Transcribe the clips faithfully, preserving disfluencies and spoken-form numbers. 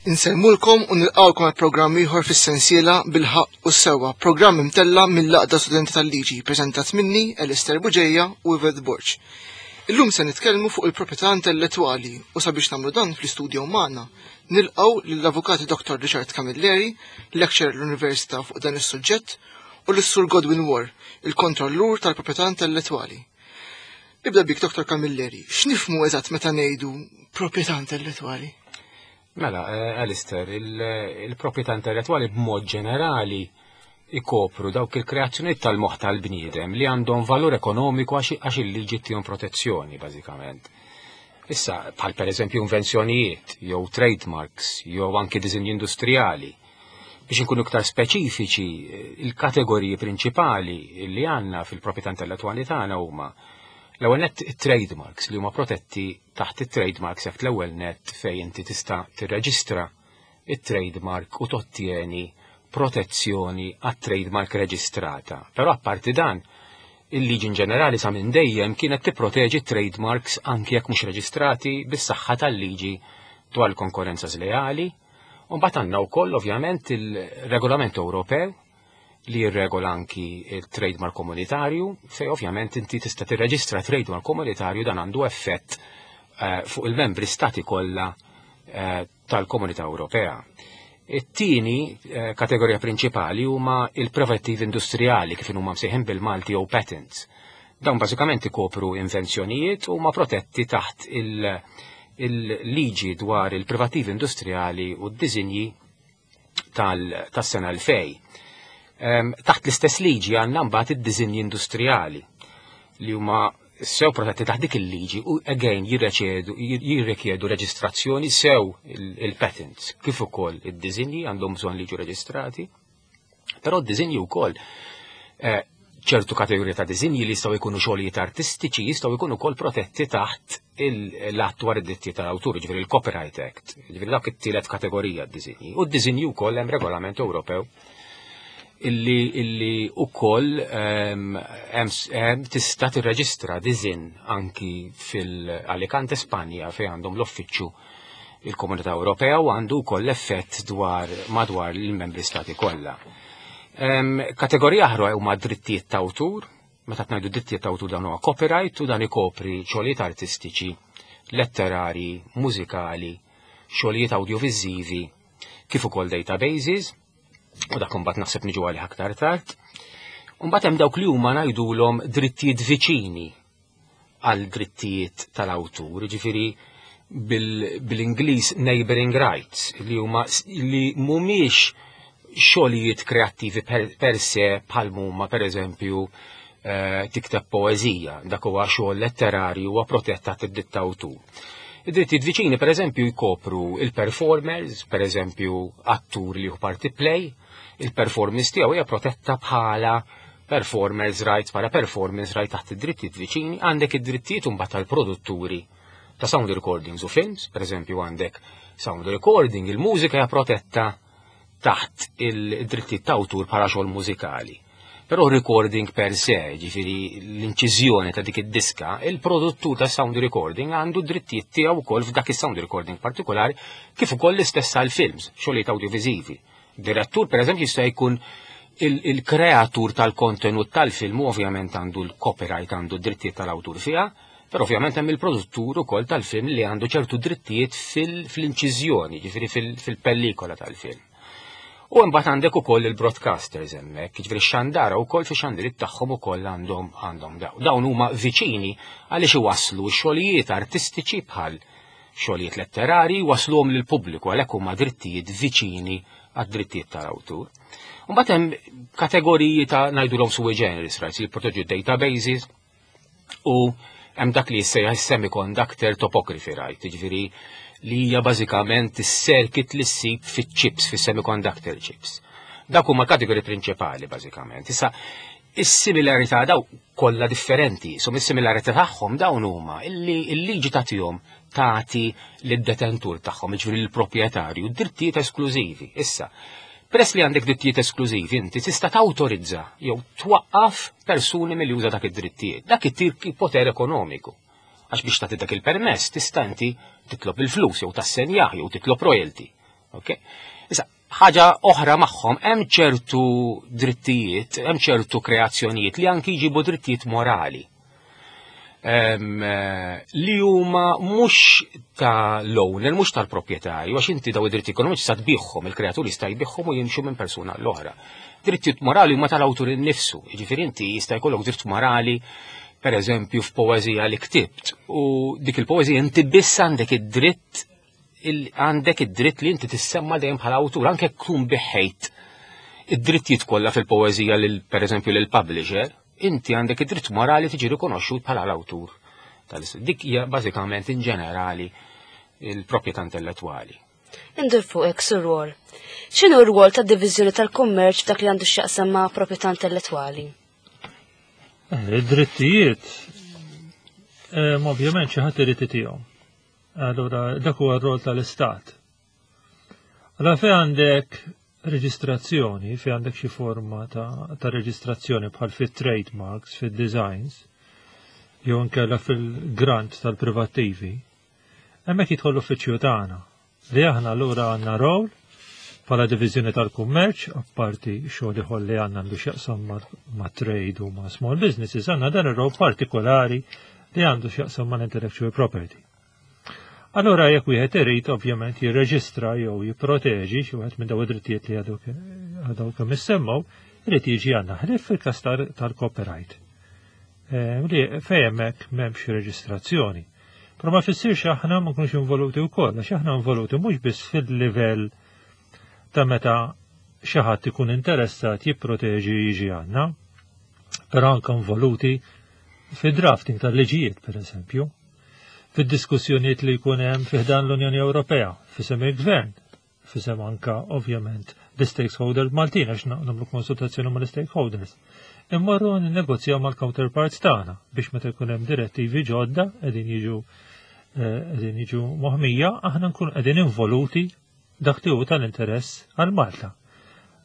Insellmulkom u nilqgħukom għal programm ieħor fis-sensiela Bil-Ħaqq u s-Sewwa, programm imtella' mill-Għaqda Studenti tal-Liġi, preżentat minni Alistair Buġeja u Yvette Borg. Illum se nitkellmu fuq il-proprjetà intellettwali u sabiex nagħmlu dan fl-istudio magħna nilqgħu lill-Avukati Dottor Richard Camilleri, lecturer l-Università fuq dan is-suġġett, u lis-Sur Godwin War, il-kontrollur tal-proprjetà intellettwali. Nibda bik, Dottor Camilleri, x'nifhmu eżatt meta ngħidu proprjetà intellettwali? Mela, eh, Alistair, il-proprjetà intellettwali b'mod ġenerali ikopru dawk il-kreazzjonijiet tal-moħħ tal-bniedem li għandhom valur ekonomiku għax il-liġi tihom protezzjoni, bażikament. Issa, bħal per eżempju invenzjonijiet, jew trademarks, jew anki disinji industrijali. Biex inkunu iktar speċifiċi, il-kategoriji prinċipali li għandna fil-proprjetà intellettwali tagħna huma l-ewwel nett trademarks li huma protetti taħt it-Trademarks Act, l-ewwel nett fejn inti tista' tirreġistra it-trademark u tottieni protezzjoni għat-trademark reġistrata. Però apparti dan, il-liġi in ġenerali sa minn dejjem kienet tipproteġi trademarks anki jekk mhux reġistrati bis-saħħa tal-liġi dwar il-konkurrenza żleali. U mbagħad għandna wkoll ovvjament il-regolament Ewropew li jirregola anki il-trademark komunitarju, fej ovvjament inti tista' tirreġistra trademark komunitarju, dan għandu effett uh, fuq il-membri stati kollha uh, tal-Komunità Ewropea. It-tieni uh, kategorija prinċipali huma il-privattivi industrijali, kif huma msejħin bil-Malti jew patents. Dawn bażikament ikopru invenzjonijiet u huma protetti taħt il-liġi il dwar il-privattivi industrijali u d-disinji tas-sena elfejn. Taħt l-istess liġi għandna mbagħad id-disinji industrijali li huma sew protetti taħt dik il-liġi u again jirrikjedu reġistrazzjoni, sew il-patents kif ukoll id-disinji għandhom bżonn li jiġu reġistrati. Però d-disinji wkoll, eh, ċertu kategorija ta' disinji li jistgħu jkunu xogħlijiet artistiċi jistgħu jkunu wkoll protetti taħt l-att dwar id-dritti tal-awtur, ġifieri il-Copyright Act, ġifieri dak it-tielet kategorija, d-disinji. U d-disinji wkoll hemm regolament Ewropew illi illi ukoll um, tista' tirreġistra disinn anki fil-Alicante, Spanja, fejn għandhom l-uffiċċju il-Komunità Ewropea u għandu wkoll effett dwar madwar il-membri stati kollha. Um, kategorija oħra huma drittijiet ta' awtur. Meta ngħidu drittijiet ta' awtur, dan huwa copyright u dan ikopri xogħlijiet artistiċi, letterari, mużikali, xogħlijiet audiovizivi, kif ukoll databases, u dak imbagħad naħseb niġu għalih aktar tard. Mbagħad hemm dawk li huma ngħidulhom drittijiet viċini għal drittijiet tal-awtur, ġifieri bil-Ingliż neighboring rights, li huma li mhumiex xogħlijiet kreattivi per, per se bħal huma per eżempju eh, tikteb poeżija, dak huwa xogħol letterarju huwa protett taħt id-dritt ta' awtur. Id-drittijiet viċini per eżempju jkopru il-performers, per eżempju attur li hu parti play, il-performance tiegħu hija protetta bħala performers rights, bħala performance right taħt id-drittijiet viċini. Għandek id-drittijiet imbagħad tal-produtturi ta' sound recordings u films, per eżempju għandek sound recording, il-mużika hija protetta taħt il-drittijiet ta' awtur bħala xogħol mużikali. Però recording per se, ġifieri l-inċiżjoni ta' dik id-diska, il-produttur ta' sound recording għandu drittijiet tiegħu wkoll f'dak is-sound recording partikolari, kif ukoll l-istess għal films, xogħlijiet audiovisivi. Direttur, per eżempju, jista' jkun il-kreatur tal-kontenut tal-film u ovvjament għandu l-copyright, għandu drittijiet tal-awtur fiha, però ovvjament hemm il-produttur ukoll tal-film li għandu ċertu drittijiet fil-inċiżjoni, ġifieri fil-pellikola tal-film. U mbagħad għandek ukoll il-broadcasters hemmhekk, jiġifieri x-xandara wkoll fi xandirit tagħhom ukoll għandhom għandhom dawn. Dawn huma viċini għaliex iwasslu xogħlijiet artistiċi bħal xogħlijiet letterari, wasluhom lill-pubbliku, għalhekk huma drittijiet viċini għad-drittijiet tal-awtur. Mbagħad hemm kategoriji ta' ngħidulhom sui generis rights li jipproteġu databases u hemm dak li jissejjaħ semiconductor topography right, jiġifieri li hija bażikament is-circuit li ssib fiċ-chips, fis-semiconductor chips. Dak huma kategoriji prinċipali bażikament. Issa, is-similarità, daw kollha differenti, so is-similarità tagħhom dawn huma illi l-liġi tagħtihom tagħti lid-detentur tagħhom, jiġifieri l-proprjetarju, drittijiet esklużivi. Issa, peress li għandek drittijiet esklużivi, inti tista' tawtorizza jew twaqqaf persuni milli juża dak id-drittijiet. Dak ittik poter ekonomiku. Għax biex tagħti dak il-permess tista' inti titlob il-flus jew tassenjah jew titlob royalty. Ok? Issa, ħaġa oħra magħhom hemm ċertu drittijiet, hemm ċertu kreazzjonijiet li anki jġibu drittijiet morali. Em, eh, li huma mhux ta' l-owner, mhux tal-proprjetarju, għax inti daw id-dritti ekonomiċi sa tbiħhom, il-kreatur jista' jbiħhom u jimxu minn persuna l-oħra. Drittijiet morali huma tal-awtur innifsu, jiġifieri inti jista' jkollok dritt morali per eżempju f'poeżija li ktibt u dik il-poeżija inti biss għandek id-dritt il- għandek id-dritt li inti tissemma dejjem bħala awtur, anke tkun biħejt id-drittijiet kollha fil-poeżija lil per eżempju lil publisher, inti għandek id-dritt morali tiġi rikonoxxut bħala l-awtur. tal Dik hija bażikament in ġenerali il-proprjetà intellettwali. Indur fuqek sur rwol. X'inhu r-rwol tad-diviżjoni tal-kummerċ f'dak li għandu x'jaqsam ma' proprjetà intellettwali? Eh, Id-drittijiet, eh, ovvjament xi ħadd irid itihom. Allura dak huwa r-rol tal-Istat. Allora fejn għandek reġistrazzjoni, fejn għandek xi forma ta', ta' reġistrazzjoni bħal fit-trademarks, fit-designs, jew inkella fil-grant tal-privattivi, hemmhekk jidħol l-uffiċċju tagħna li aħna allura għandna rol bħala diviżjoni tal-kummerċ, apparti xogħol ieħor li għandna għandu x'jaqsam ma', ma' trade u ma' small businesses, għandna dan ir-rol partikolari li għandu x'jaqsam ma' intellectual property. Allora jekk wieħed irid ovvjament jirreġistra jew jipproteġi xi wieħed minn dawn id-drittijiet li għadu għadu kemm issemmew, irid jiġi għandna ħlief fil-każ tal-copyright. Eh, Li fejn hemmhekk m'hemmx reġistrazzjoni. Però ma jfissirx aħna ma nkunux involuti wkoll, għax aħna involuti mhux biss fil-livell ta' meta xi ħadd ikun interessat jipproteġi jiġi għandna, però anke involuti fid-drafting tal-liġijiet, per eżempju, fid-diskussjonijiet li jkun hemm fi ħdan l-Unjoni Ewropea, f'isem il-Gvern, f'isem anka ovvjament l-stakeholders Maltin għax nagħmlu konsultazzjoni mal-stakeholders. Immorru ninnegozjaw mal-counterparts tagħna biex meta jkun hemm direttivi ġodda qegħdin jiġu eh, qegħdin jiġu moħmija, aħna nkunu qegħdin involuti dak li hu tal-interess għal Malta.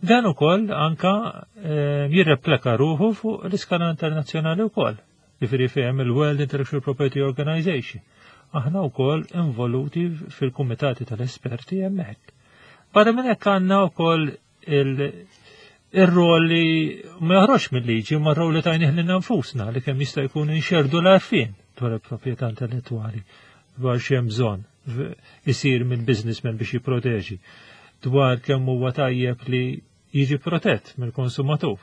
Dan ukoll anka eh, jirreplika ruħu fuq l-iskala internazzjonali wkoll. Jiġifieri fejn il-World Intellectual Property Organization. Aħna wkoll involuti fil-kumitati tal-esperti hemmhekk. Barra minn hekk għandna wkoll il-rol li ma joħroġ mill-liġi, ma rol li tajnih lilna nfusna li kemm jista' jkun inxerdu l-għarfien dwar il-proprjetà intellettwali, dwar x'hemm bżonn isir minn businessman biex jipproteġi, dwar kemm huwa tajjeb li jiġi protett mill-konsumatur.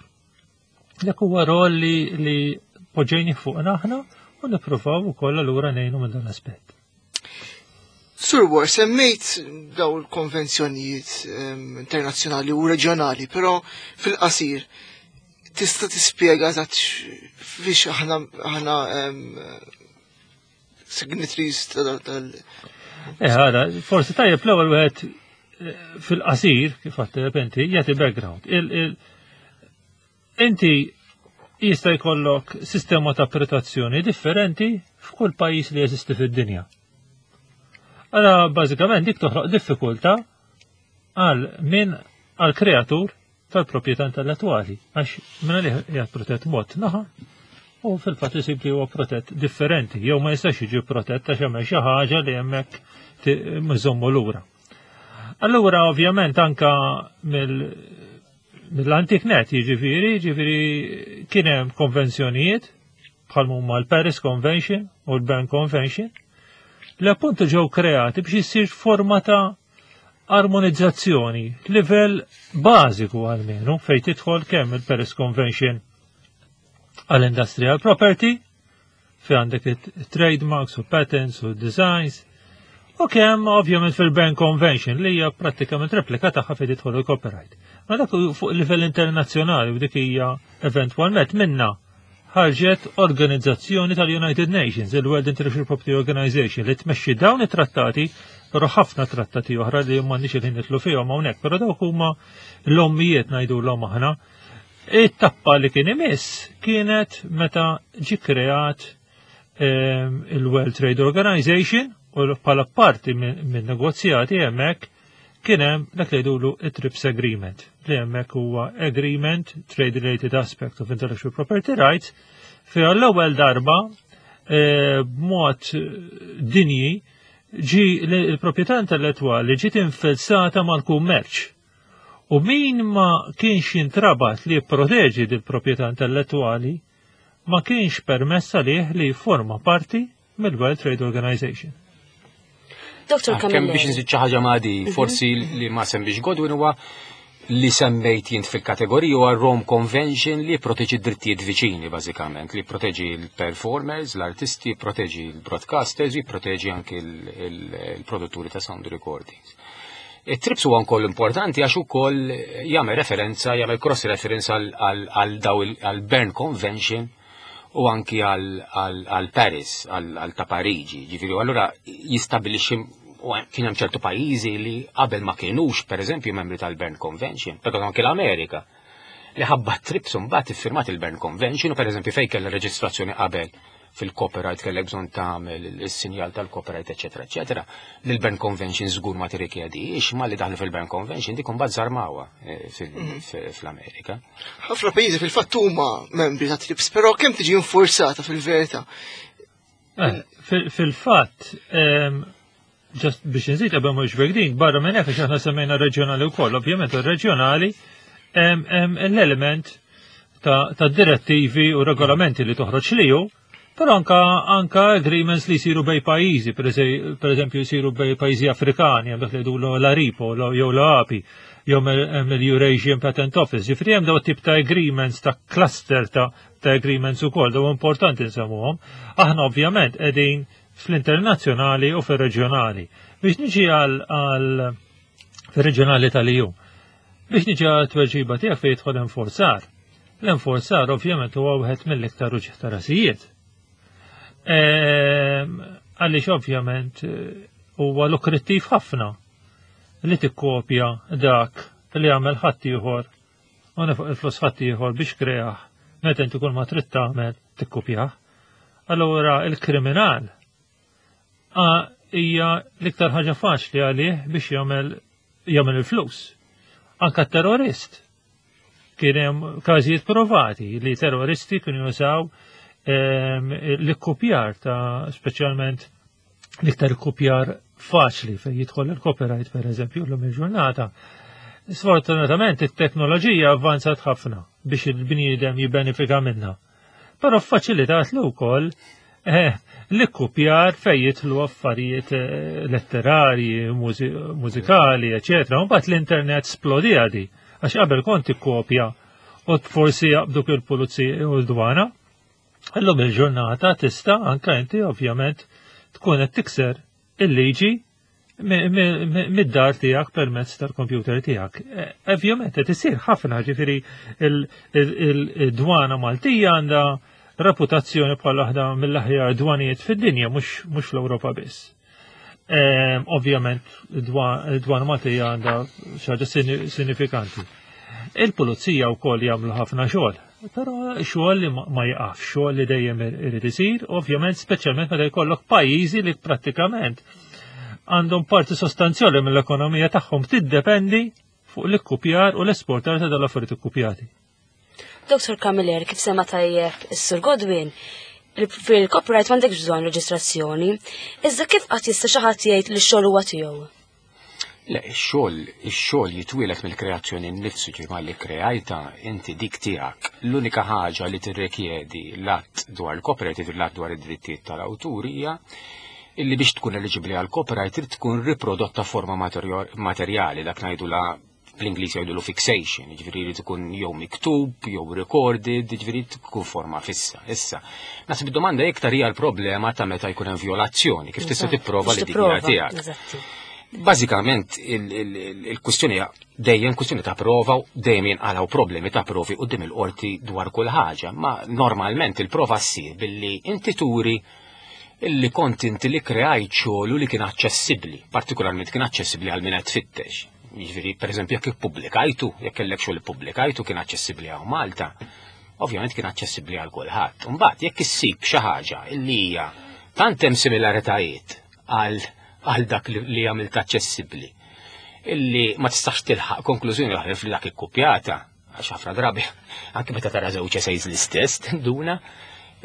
Dak huwa rol li, li poġġejni fuqna aħna u nippruvaw ukoll allura ngħinu minn dan l-aspett. Sur War, semmejt daw il-konvenzjonijiet em, internazzjonali u reġjonali, però fil-qasir tista' tispjega eżatt fiex aħna aħna em, signatories tal- tal- Eh, għara, forsi tajjeb l-ewwel wieħed eh, fil-qasir, kif għedt inti, jagħti background. Il, il, inti jista' jkollok sistema ta' protezzjoni differenti f'kull pajjiż li jeżisti fid-dinja. Allora, bażikament dik toħloq diffikultà għal min għal kreatur tal-proprjetà intellettwali, għax minna li qiegħed protett mod naħa u fil-fatt isib li huwa protett differenti, jew ma jistax jiġi protett għax hemm xi ħaġa li hemmhekk iżommu lura. Allura ovvjament anka mill mill-antik net jiġifieri, jiġifieri kien hemm konvenzjonijiet bħal huma l-Paris Convention u l-Berne Convention li appuntu ġew kreati biex issir forma ta' armonizzazzjoni, livell bażiku almenu fejn tidħol kemm il-Paris Convention għall-industrial property, fi għandek it-trademarks u patents u designs, u kemm ovvjament fil-Berne Convention li hija prattikament replika tagħha fejn tidħol il-copyright. Ma dak fuq livell internazzjonali u dik hija eventwalment minna ħarġet organizzazzjoni tal-United Nations, il-World Intellectual Property Organization, li tmexxi dawn it-trattati, però ħafna trattati oħra li m'għandniex il-ħin nidħlu fihom hawnhekk, però dawk huma l-ommijiet ngħidu l-om aħna. It-tappa li kien imiss kienet meta ġi kreat ehm, il-World Trade Organization u bħala parti minn negozjati hemmhekk kien hemm dak li jgħidulu it-TRIPS Agreement, li hemmhekk huwa Agreement Trade Related Aspect of Intellectual Property Rights, fi l-ewwel darba eh, b'mod dinji Ġi l-proprjetà intellettwali ġiet infilzata mal-kummerċ. U min ma kienx jintrabat li jipproteġi dil-proprjetà intellettwali ma kienx permessa lih li forma parti mill-World Trade Organization. Dottor Ah, kemm Camilleri. Biex nżid xi ħaġa ma' di, forsi li ma semmiex Godwin huwa li semmejt jint fil-kategorija huwa Rome Convention, li proteġi drittijiet viċini bażikament, li proteġi l-performers, l-artisti, proteġi l-broadcasters, proteġi anke il-produtturi ta' sound recordings. Il-TRIPS huwa wkoll importanti għax ukoll jagħmel referenza, jagħmel cross reference għal daw għal Berne Convention u anki għal Paris, għal ta' Pariġi. Ġifieri, allura jistabilixxi u kien hemm ċertu pajjiżi li qabel ma kienux, pereżempju, membri tal-Berne Convention, però anki l-Amerika, li ħabba TRIPS mbagħad iffirmat il-Berne Convention u, pereżempju, fejn kellha reġistrazzjoni qabel fil-copyright kellek bżonn tagħmel is-sinjal tal-copyright, eċetera, eċetera. Li l-Berne Convention żgur ma tirrikjedix, ma li daħlu fil-Berne Convention dik imbagħad żarmawha eh, fl-Amerika. Ħafna pajjiżi fil-fatt huma membri ta' TRIPS, però kemm tiġi infurzata fil-verità? Eh, fil-fatt, just biex nżid qabel mhux din, barra minn hekk, aħna semmejna reġjonali wkoll, ovvjament ir-reġjonali hemm l-element ta' direttivi u regolamenti li toħroġ liju, però anka anka agreements li jsiru bejn pajjiżi, per eżempju jsiru bejn pajjiżi Afrikani, hemm dak li jgħidu l-ARIPO jew l-A P I, jew hemm l-Eurasian Patent Office. Ġifieri hemm daw tip ta' agreements, ta' cluster ta' ta' agreements ukoll, daw importanti nsemmuhom. Aħna ovvjament qegħdin fl-internazzjonali u fil-reġjonali. Biex niġi għal fil-reġjonali tal-E U. Biex niġi għal tweġiba tiegħek fejn jidħol enforzar. L-enforzar ovvjament huwa wieħed mill-iktar uġigħ ta' rasijiet. Ehm, għaliex ovvjament eh, huwa lukrittiv ħafna li tikkopja dak li għamel ħaddieħor u fuq il-flus ħaddieħor biex kreah, meta inti kull ma trid tagħmel tikkopjah. Allura il-kriminal hija l-iktar ħaġa faċli għalih biex jagħmel jagħmel il-flus. Anka terrorist. Kien hemm każijiet provati li terroristi kienu jużaw ehm, l-ikkupjar ta' speċjalment l-iktar ikkupjar faċli fejn jidħol il-copyright, per eżempju, l il-ġurnata. Sfortunatament it-teknoloġija avvanzat ħafna biex il-bniedem jibbenefika minnha. Però faċilitat lu wkoll eh, l-ikkupjar fejn jidħlu affarijiet eh, letterarji, mużikali, eċetera. Mbagħad l-internet splodija di, għax qabel kont ikkopja u forsi jaqbduk il-pulizija u l-dwana. Illum il-ġurnata tista' anka inti ovvjament tkun qed tikser il-liġi mid-dar tiegħek permezz tal-kompjuter tiegħek. E, ovvjament qed isir ħafna, ġifieri il-dwana Maltija għandha reputazzjoni bħala waħda mill-aħjar dwanijiet fid-dinja, mhux fl-Ewropa biss. Ovvjament id-dwana Maltija għandha xi ħaġa sinifikanti. Il-pulizija wkoll jagħmlu ħafna xogħol, però xogħol li ma jaqaf, xogħol li dejjem irid isir, ovvjament speċjalment meta jkollok pajjiżi li prattikament għandhom parti sostanzjali mill-ekonomija tagħhom tiddependi fuq l-ikkupjar u l-esportar ta' dal-affarijiet ikkupjati. Dottor Camilleri, kif sema tajjeb is-Sur Godwin, fil-copyright m'għandekx bżonn reġistrazzjoni, iżda kif qatt jista' xi ħadd jgħid li x-xogħol huwa tiegħu? Le, ix-xogħol, ix-xogħol jitwieled mill-kreazzjoni nnifsu, ġimgħa li kreajta inti dik tiegħek. L-unika ħaġa li tirrikjedi l-att dwar il-copyright, l-att dwar id-drittijiet tal-awtur, hija illi biex tkun eliġibbli għal copyright trid tkun riprodotta forma materjali, dak ngħidu la bl-Ingliż jgħidulu fixation, ġifieri li tkun jew miktub, jew recorded, ġifieri tkun forma fissa. Issa, naħseb id-domanda iktar hija l-problema ta' meta jkun hemm violazzjoni, kif tista' tipprova li dik tiegħek. Bażikament il-kwistjoni dejjem kwistjoni ta' prova u dejjem jinqalgħu problemi ta' provi quddiem il-qorti dwar kull ħaġa, ma normalment il-prova ssir billi inti turi illi kont inti li kreajt xogħol li kien aċċessibbli, partikolarment kien aċċessibbli għal min qed tfittex. Jiġifieri, pereżempju, jekk ippubblikajtu, jekk kellek xogħol ippubblikajtu kien aċċessibbli għal Malta, ovvjament kien aċċessibbli għal kulħadd. Imbagħad jekk issib xi ħaġa illi hija tant hemm similaritajiet għal għal dak li li għamilt aċċessibbli illi ma tistax tilħaq konklużjoni oħra fil dak ikkupjata, għax ħafna drabi anke meta tara żewġ essays l-istess tinduna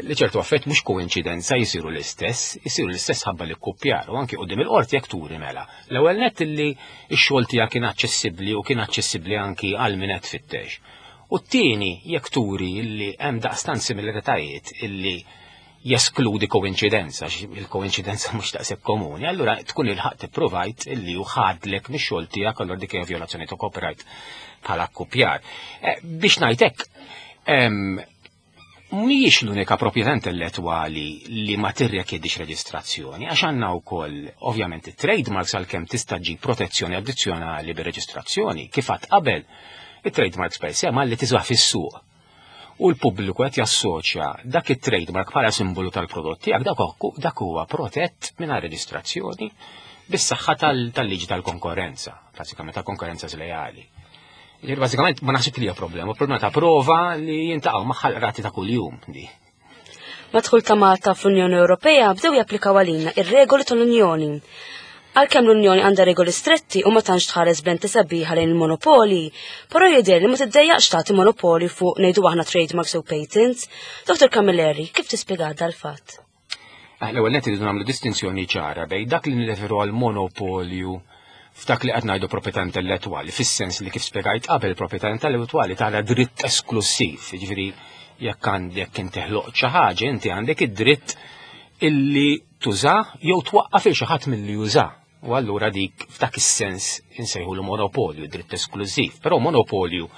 Li ċertu affett mhux koinċidenza jisiru l-istess, jisiru l-istess ħabba li kkupjar u anki quddiem il-qorti jekk turi mela. L-ewwel nett illi x-xogħol tiegħek kien aċċessibbli u kien aċċessibbli anki għal min qed tfittex. U t-tieni jekk turi illi hemm daqstant similaritajiet illi jeskludi koinċidenza, il-koinċidenza mhux daqshekk komuni, allura tkun il-ħaq tipprovajt illi hu ħadlek mix-xogħol tiegħek, allura dik hija vjolazzjoni ta' copyright bħala kkupjar. Eh, biex ngħidlek, mhijiex l-unika proprjetà intellettwali li ma tirrikjedix reġistrazzjoni, għax għandna wkoll ovvjament it-trademarks, għalkemm tista' ġib protezzjoni addizzjonali bir-reġistrazzjoni, kif għedt qabel, it-trademarks per se malli tiżwa fis-suq u l-pubbliku qed jassoċja dak it-trademark bħala simbolu tal-prodott tiegħek, dak dak huwa protett mingħajr reġistrazzjoni bis-saħħa tal-liġi tal-konkurrenza, bażikament ta' konkurrenza żlejali. Ġifieri bażikament ma naħsibx li hija problema, problema ta' prova li jiltaqgħu magħha l-qrati ta' kuljum di. Mad-dħul ta' Malta fl-Unjoni Ewropea bdew japplikaw għalina ir-regoli tal-Unjoni. Għalkemm l-Unjoni għandha regoli stretti u ma tantx tħares b'lenti sabiħa lejn il-monopoli, però jidher li ma tiddejjaqx tagħti monopoli fuq, ngħidu aħna, trademarks u patents. Dottor Camilleri, kif tispjega dal-fatt? Ah, l-ewwel nett irridu nagħmlu distinzjoni ċara bejn dak li nirreferu għal monopolju f'dak li qed ngħidu proprjetà intellettwali, fis-sens li kif spjegajt qabel, proprjetà intellettwali tara dritt esklusiv, jiġifieri jekk għandek inti ħloqt xi ħaġa, inti għandek id-dritt illi tuża jew twaqqaf il xi ħadd milli juża. U allura dik f'dak is-sens insejħu monopolju, dritt esklusiv. Però monopolju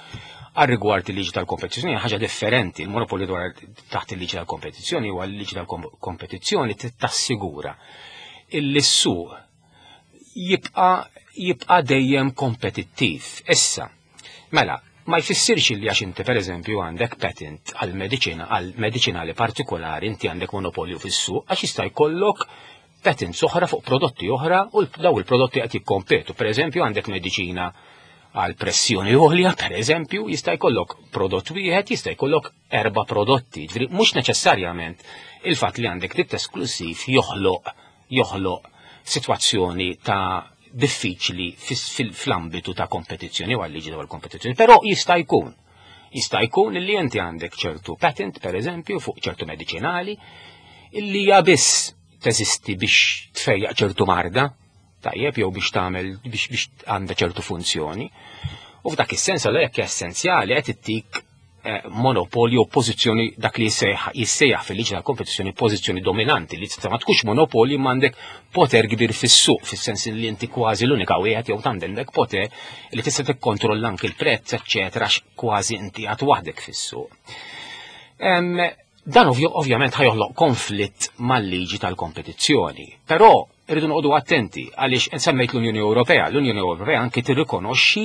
għal rigward il-liġi tal-kompetizzjoni hija ħaġa differenti. Il-monopolju dwar taħt il-liġi tal-kompetizzjoni huwa l-liġi tal-kompetizzjoni tassigura illi s-suq jibqa' jibqa' dejjem kompetittiv. Issa, mela, ma jfissirx li għax inti pereżempju għandek patent għal mediċina għal mediċinali partikolari inti għandek monopolju fis-suq, għax jista' jkollok patents oħra fuq prodotti oħra u daw il-prodotti qed jikkompetu. Per eżempju, għandek mediċina għal pressjoni għolja, per eżempju, jista' jkollok prodott wieħed, jista' jkollok erba' prodotti. Ġifieri mhux neċessarjament il-fatt li għandek dritt esklusiv joħloq joħloq sitwazzjoni ta' diffiċli fl-ambitu ta' kompetizzjoni u għal-liġi dwar kompetizzjoni, però jista' jkun. Jista' jkun li inti għandek ċertu patent, per eżempju, fuq ċertu mediċinali, illi hija biss teżisti biex tfejjaq ċertu marda, tajjeb, jew biex tagħmel biex biex għandha ċertu funzjoni. U f'dak is-sens allura jekk essenzjali qed ittik eh, monopolju, pożizzjoni, dak li jissejjaħ fil-liġi tal-kompetizzjoni pożizzjoni dominanti, li tista' ma tkunx monopolju ma għandek poter kbir fis-suq, fis-sens li inti kważi l-unika wieħed jew għandek poter li tista' tikkontrolla anki l-prezz, eċċetera, għax kważi inti għad waħdek fis-suq. Dan ovvjament ħa joħloq konflitt mal-liġi tal-kompetizzjoni, però irridu noqogħdu attenti għaliex semmejt l-Unjoni Ewropea. L-Unjoni Ewropea anki tirrikonoxxi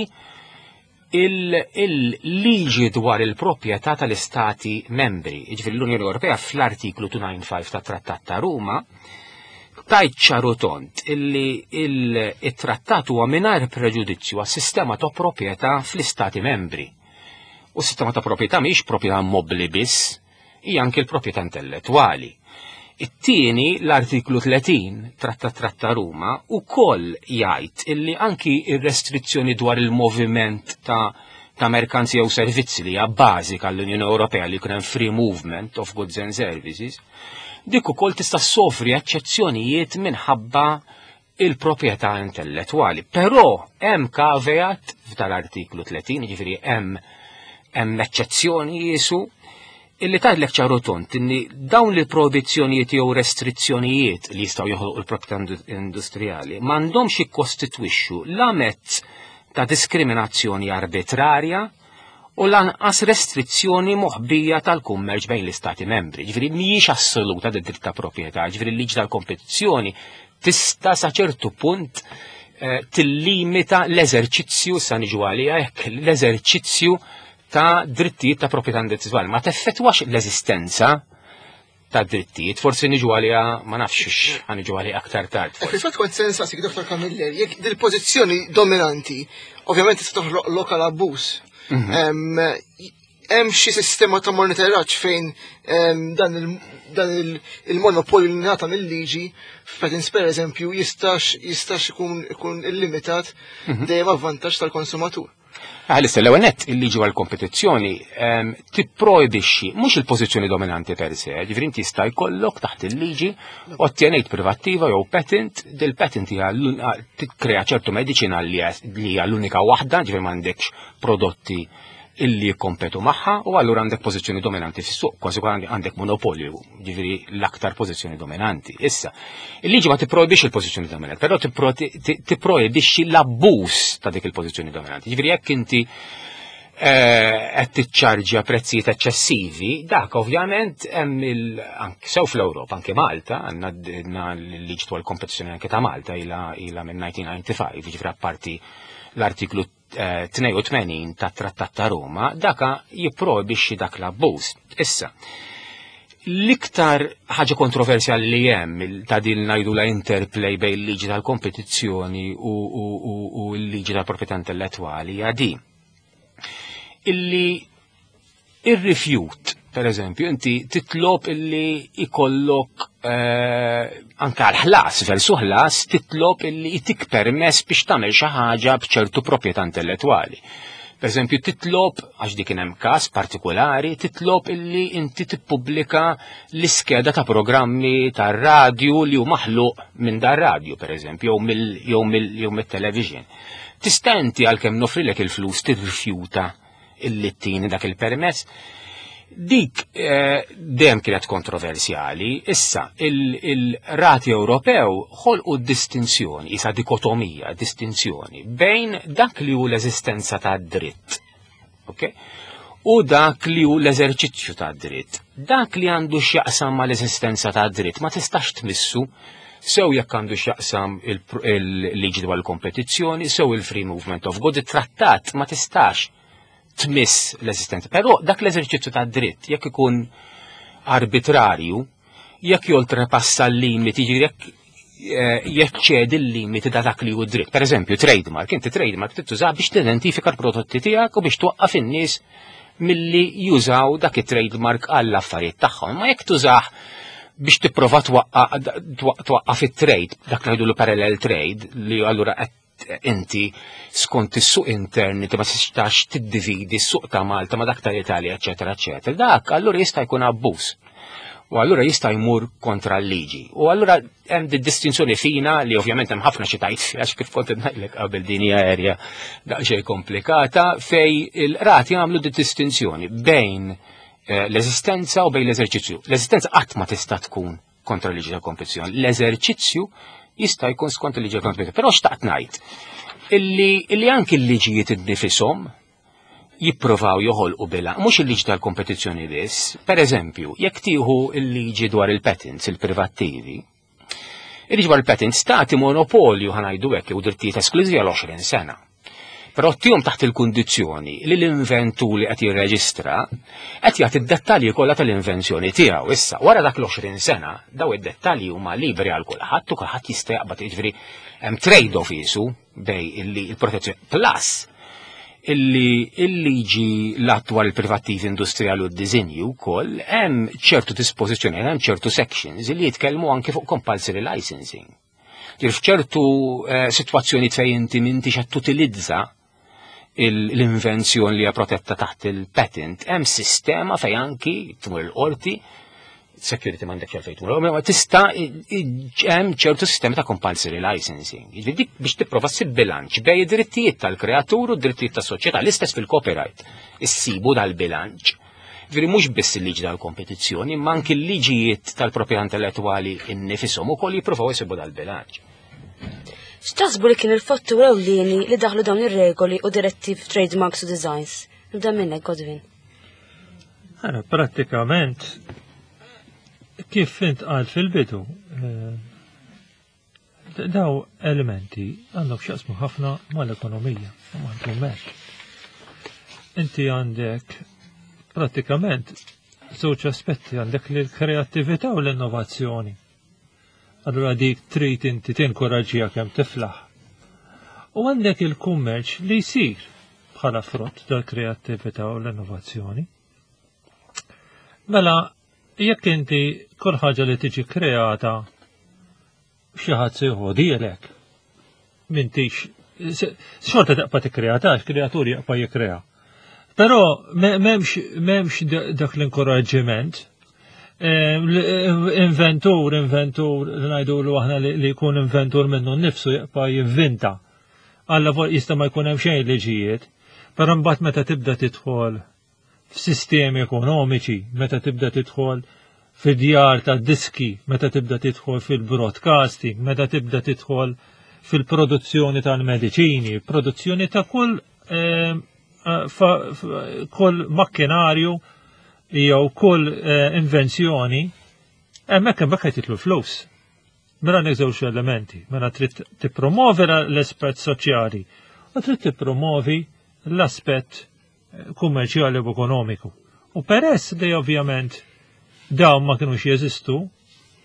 il-liġi dwar il-proprjetà tal-istati membri. Jiġifieri l-Unjoni Ewropea fl-artiklu dmien u disgħin tat-Trattat ta' Ruma tgħid ċar u tond illi il-trattat huwa mingħajr preġudizzju għas-sistema ta' proprjetà fl-istati membri. U s-sistema ta' proprjetà mhix proprjetà mobbli biss, hija anke l-proprjetà intellettwali. It-tieni, l-artiklu tletin Trattat Tratta Ruma ukoll jgħid illi anki ir-restrizzjoni dwar il-moviment ta' ta' merkanzija u servizzi li hija bażika l-Unjoni Ewropea, li jkun hemm free movement of goods and services, dik ukoll tista' ssofri eċċezzjonijiet minħabba il-proprjetà intellettwali. Però hemm caveat f'dal-artiklu tletin, jiġifieri hemm hemm eċċezzjoni jisu illi tgħidlek ċar u tond inni dawn il-proibizzjonijiet jew restrizzjonijiet li jistgħu joħolqu l-proprjetà industrijali m'għandhomx jikkostitwixxu la mezz ta' diskriminazzjoni arbitrarja u lanqas restrizzjoni moħbija tal-kummerċ bejn l-istati membri. Ġifieri mhijiex assoluta d-dritt ta' proprjetà, ġifieri l-liġi tal-kompetizzjoni tista' sa ċertu punt eh, tillimita l-eżerċizzju, sa niġu għalija hekk, l-eżerċizzju ta' drittijiet ta' proprjetà intellettwali. Ma teffettwax l-eżistenza ta' drittijiet, forsi niġu għalija, ma nafx, ħa niġu għalija aktar tard. Eh, fil-fatt kont se nsaqsik, Dottor Camilleri, jekk dil-pożizzjoni dominanti, ovvjament tista' toħloq lok għal abbuż. Mhm. Hemm xi sistema ta' monitoraġġ fejn dan il-monopolju li ngħata mill-liġi f'patents, per eżempju, jistax jistax ikun ikun illimitat mhm. dejjem avvantaġġ tal-konsumatur? Għalissa, l-ewwel nett il-liġi għal-kompetizzjoni ehm, tipprojbixxi mhux il-pożizzjoni dominanti per se, ġifieri inti jista' jkollok taħt il-liġi ottjenejt privattiva jew patent, dil-patent hija tikkrea ċertu mediċina li hija l-unika waħda, ġifieri m'għandekx prodotti illi jikkompetu magħha u allura għandek pożizzjoni dominanti fis-suq, kważi għandek monopolju, ġifieri l-aktar pożizzjoni dominanti. Issa, il-liġi ma tipprojbix il-pożizzjoni dominanti, però tipprojbixxi l-abbuż ta' dik il-pożizzjoni dominanti. Ġifieri jekk inti eh, qed tiċċarġja prezzijiet eċċessivi, dak ovvjament hemm il sew fl-Ewropa, anke Malta, għandna l-liġi dwar il-kompetizzjoni anke ta' Malta ilha ilha minn elf disa' mija u disgħa u disgħin, ġifieri apparti l-artiklu tnejn u tmenin ta' Trattat ta' Roma, daka jipprojbixxi dak l-abbuż. Issa, l-iktar ħaġa kontroversjali li hemm ta' din ngħidu la interplay bejn il-liġi tal-kompetizzjoni u, u, u, u l-liġi tal-proprjetà intellettwali hija di. Illi ir-rifjut, per eżempju, inti titlob illi ikollok eh, anka l-ħlas, versu ħlas, titlob illi itik permess biex tagħmel xi ħaġa b'ċertu proprjetà intellettwali. Per eżempju, titlob, għax dik hemm każ partikolari, titlob illi inti tippubblika l-iskeda ta' programmi tar radju li hu maħluq minn dar radju, per eżempju, jew mill jew mit-television. Tista' inti, għalkemm nofrilek il-flus, tirrifjuta illi ttini dak il-permess? Dik eh, dejjem kienet kontroversjali, issa il-qrati Ewropew ħolqu distinzjoni, isa dikotomija, distinzjoni bejn dak li hu l-eżistenza ta' dritt. Okay? U dak li hu l-eżerċizzju ta' dritt. Dak li għandu x'jaqsam ma l-eżistenza ta' dritt ma tistax tmissu, sew jekk għandu x'jaqsam il-liġi dwar il-kompetizzjoni, sew il-free movement of goods, it-trattat ma tistax tmiss l-eżistenza. Però dak l-eżerċizzju ta' dritt, jekk ikun arbitrarju, jekk joltrepassa l-limiti, jekk eh, jeċċedi l-limiti da dak li hu dritt. Per eżempju, trademark, inti trademark tittuża biex tidentifika l-prodotti tiegħek u biex twaqqaf in-nies milli jużaw dak it-trademark għall affarijiet tagħhom. Ma jekk tużah biex tipprova twaqqaf it-trade, dak li jgħidu parallel trade, li allura qed inti skont is-suq intern inti ma tistax tiddividi s-suq ta' Malta ma dak tal-Italja, eċetera, eċetera. Dak allura jista' jkun abbuż. U allura jista' jmur kontra l-liġi. U allura hemm di distinzjoni fina li ovvjament hemm ħafna xi tgħid, għax kif kont ngħidlek qabel din hija area daqsxejn komplikata fej il-qrati għamlu di distinzjoni bejn eh, l-eżistenza u bejn l-eżerċizzju. L-eżistenza qatt ma tista' tkun kontra l-liġi tal-kompetizzjoni. L-eżerċizzju jista' jkun skont il-liġi tal-kompetizzjoni. Però xtaqt ngħid illi, illi anki l-liġijiet innifishom jipprovaw joħolqu bila, mhux il-liġi tal-kompetizzjoni biss. Per eżempju, jekk tieħu il-liġi dwar il-patents, il-privattivi, il-liġi dwar il-patents tagħti monopolju, ħa ngħidu hekk, u drittijiet esklużivi għal għoxrin sena. Però ttihom taħt il-kundizzjoni li l-inventu li qed jirreġistra qed jagħti d-dettalji kollha tal-invenzjoni tiegħu. Issa, wara dak l-għoxrin sena, daw id-dettalji huma liberi għal kulħadd u kulħadd jista' jaqbad, jiġifieri hemm trade-off isu bej illi il-protezzjoni plus illi il-liġi l-attwal il-privattivi industrijali u d-dizinju wkoll hemm ċertu dispożizzjoni, hemm ċertu sections li jitkellmu anke fuq compulsory licensing. Ġifieri f'ċertu eh, sitwazzjoni fejn inti m'intix qed tutilizza l-invenzjoni li hija protetta taħt il-patent, hemm sistema fejn anki tmur il-qorti, security m'għandek xejn tmur, ma tista' hemm ċertu sistemi ta' compulsory licensing. Jiġifieri dik biex tipprova ssib bilanċ bejn id-drittijiet tal-kreatur u d-drittijiet tas-soċjetà, l-istess fil-copyright. Issibu dal-bilanċ. Ġifieri mhux biss il-liġi tal-kompetizzjoni, ma anki l-liġijiet tal-proprjetà intellettwali innifisom ukoll jippruvaw isibu dal-bilanċ. X'taħsbu li kien il-fattur ewlieni li daħlu dawn ir-regoli u direttiv trademarks u designs? Nibda minnek, Godwin. Ara, prattikament, kif intqal fil-bidu, eh, daw elementi għandhom x'jaqsmu ħafna mal-ekonomija, u mal-kummerċ. Inti għandek prattikament żewġ aspetti: għandek l-kreattività u l-innovazzjoni. Allura dik trid inti tinkoraġġiha kemm tiflaħ. U għandek il-kummerċ li jsir bħala frott dal-kreattività u l-innovazzjoni. Mela, jekk inti kull ħaġa li tiġi kreata xi ħadd se jħodielek, m'intix Xorta tibqa' tikkrea tax, kreatur jibqa' jikkrea. Però m'hemmx dak l-inkoraġġiment. Inventur, inventur, ngħidulu aħna li jkun inventur minnu nnifsu jibqa' jivvinta. Alla jista' ma jkun hemm xejn liġijiet, però mbagħad meta tibda tidħol f'sistemi ekonomiċi, meta tibda tidħol fid-djar ta' diski, meta tibda tidħol fil-broadcasting, meta tibda tidħol fil-produzzjoni tal-mediċini, produzzjoni ta' kull eh, kull makkinarju jew kull eh, invenzjoni, hemmhekk hemmhekk qed jidħlu flus. Mela għandek żewġ elementi, mela trid tippromovi l-aspett soċjali u trid tippromovi l-aspett eh, kummerċjali u ekonomiku. U peress li ovvjament dawn ma kienux jeżistu,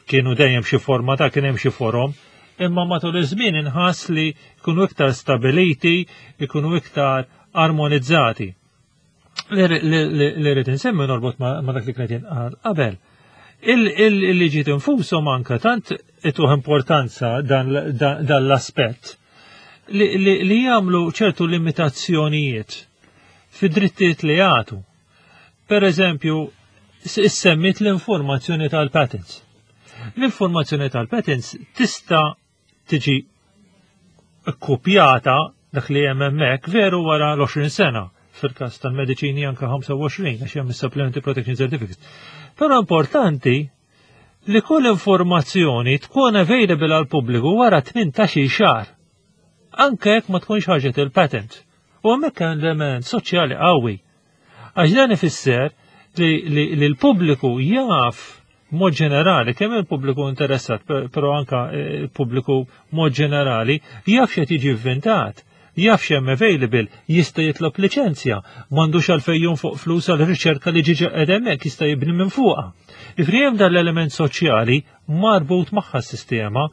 kienu dejjem xi forma ta' kien hemm xi forom, imma matul iż-żmien inħass li jkunu iktar stabiliti, jkunu iktar armonizzati. Li rrid insemmi norbot ma dak li kienet jinqal qabel. Il-liġi infushom anka tant ituh importanza dan l-aspett li jagħmlu ċertu limitazzjonijiet fid-drittijiet li jagħtu. Per eżempju, issemmit l-informazzjoni tal-patents. L-informazzjoni tal-patents tista' tiġi kopjata dak li hemm hemmhekk veru wara l-għoxrin sena, fil-każ tal-mediċini anka ħamsa u għoxrin għax hemm supplementary protection certificates. Però importanti li kull informazzjoni tkun available għal pubbliku wara tmintax-il xahar. Anke jekk ma tkunx ħarġet il-patent. U hemmhekk hemm element soċjali qawwi. Għax dan ifisser li, li, li l-pubbliku jaf mod ġenerali, kemm il-pubbliku interessat, però anka il-pubbliku mod ġenerali, jaf x'qed jiġi inventat, jaf x'hemm available, jista' jitlob liċenzja, m'għandux għalfejn jonfoq flus għal riċerka li ġiġa hemmhekk, jista' jibni minn fuqha. Ifri hemm dan l-element soċjali marbut magħha s-sistema,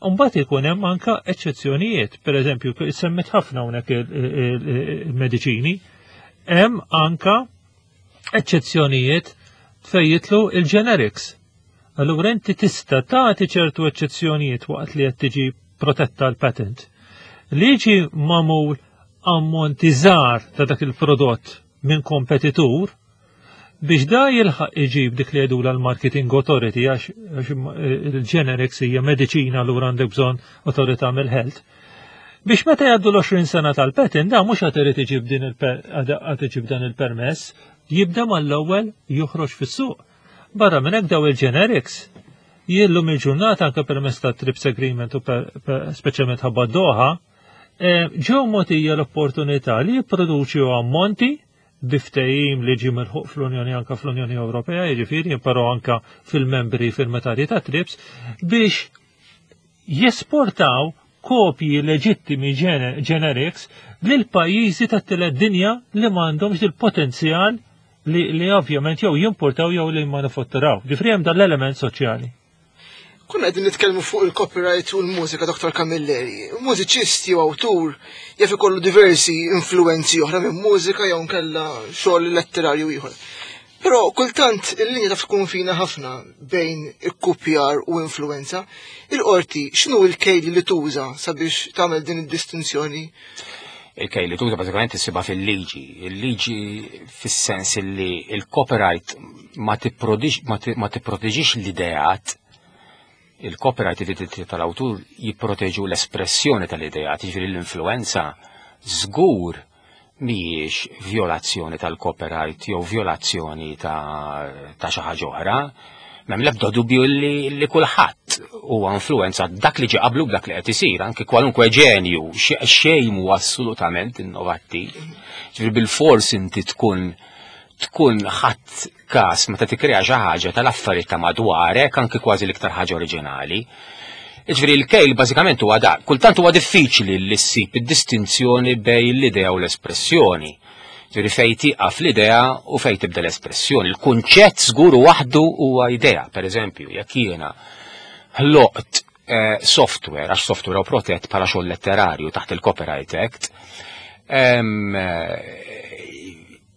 mbagħad ikun hemm anka eċċezzjonijiet, per eżempju, semmit ħafna hawnhekk il-mediċini, hemm anka eċċezzjonijiet fejn jidħlu il-generics. Allura inti tista' tagħti ċertu eċċezzjonijiet waqt li qed tiġi protetta l-patent. Li jiġi magħmul ammonti żgħar ta' dak il-prodott minn kompetitur biex da jilħaq iġib dik li jgħidula l-marketing authority, għax il-generics hija mediċina, allura għandek bżonn autorità mill-health. Biex meta jgħaddu l-għoxrin sena tal-patent, da mhux għad irid iġib din għad iġib dan il-permess, jibda mal-ewwel joħroġ fis-suq. Barra minn hekk, daw il-generics jillum il-ġurnata, anke permess ta' TRIPS Agreement u speċjalment ħabba Doha, eh, ġew mogħtija l-opportunità li jipproduċu ammonti bi ftehim li ġie milħuq fl-Unjoni, anka fl-Unjoni Ewropea, jiġifieri, però anka fil-membri firmatarji ta' TRIPS, biex jesportaw kopji leġittimi generics lil pajjiżi tat-tielet dinja li m'għandhomx il-potenzjal li, li ovvjament jew jimportaw jew li jmanifatturaw. Ġifieri hemm dan l-element soċjali. Kunna qegħdin nitkellmu fuq il-copyright u l-mużika, Doktor Camilleri. Mużiċisti u awtur jaf ikollu diversi influenzi oħra minn mużika jew nkella xogħol letterarju ieħor. Però kultant il-linja taf tkun fina ħafna bejn ikkupjar u influenza. Il-qorti x'inhu l-kejl li tuża sabiex tagħmel din id-distinzjoni? Il-kejl li tuża bażikament issibha fil-liġi. Il-liġi fis-sens li il-copyright ma tipproteġix l-ideat, il-copyright, id-dritti tal-awtur jipproteġu l-espressjoni tal-ideat, jiġifieri l-influenza żgur mhijiex violazzjoni tal-copyright jew violazzjoni ta' ta' xi ħaġa oħra. M'hemm l-ebda dubju li, li kulħadd huwa influenza dak li ġie qablu b'dak li qed isir, anke kwalunkwe ġenju, xejn huwa assolutament innovattiv. Ġifieri bil-fors inti tkun tkun ħadd każ meta tikkrea xi ħaġa tal-affarijiet ta' madwarek, anke kważi l-iktar ħaġa oriġinali. Ġifieri l-kejl bażikament huwa dak. Kultant huwa diffiċli li ssib id-distinzjoni bejn l-idea u l-espressjoni. Ġifieri fejn tieqaf l-idea u fejn tibda l-espressjoni. Il-kunċett żgur waħdu huwa idea. Per eżempju, jekk jiena ħloqt eh, software, għax software huwa protett bħala xogħol letterarju taħt il-Copyright Act, em,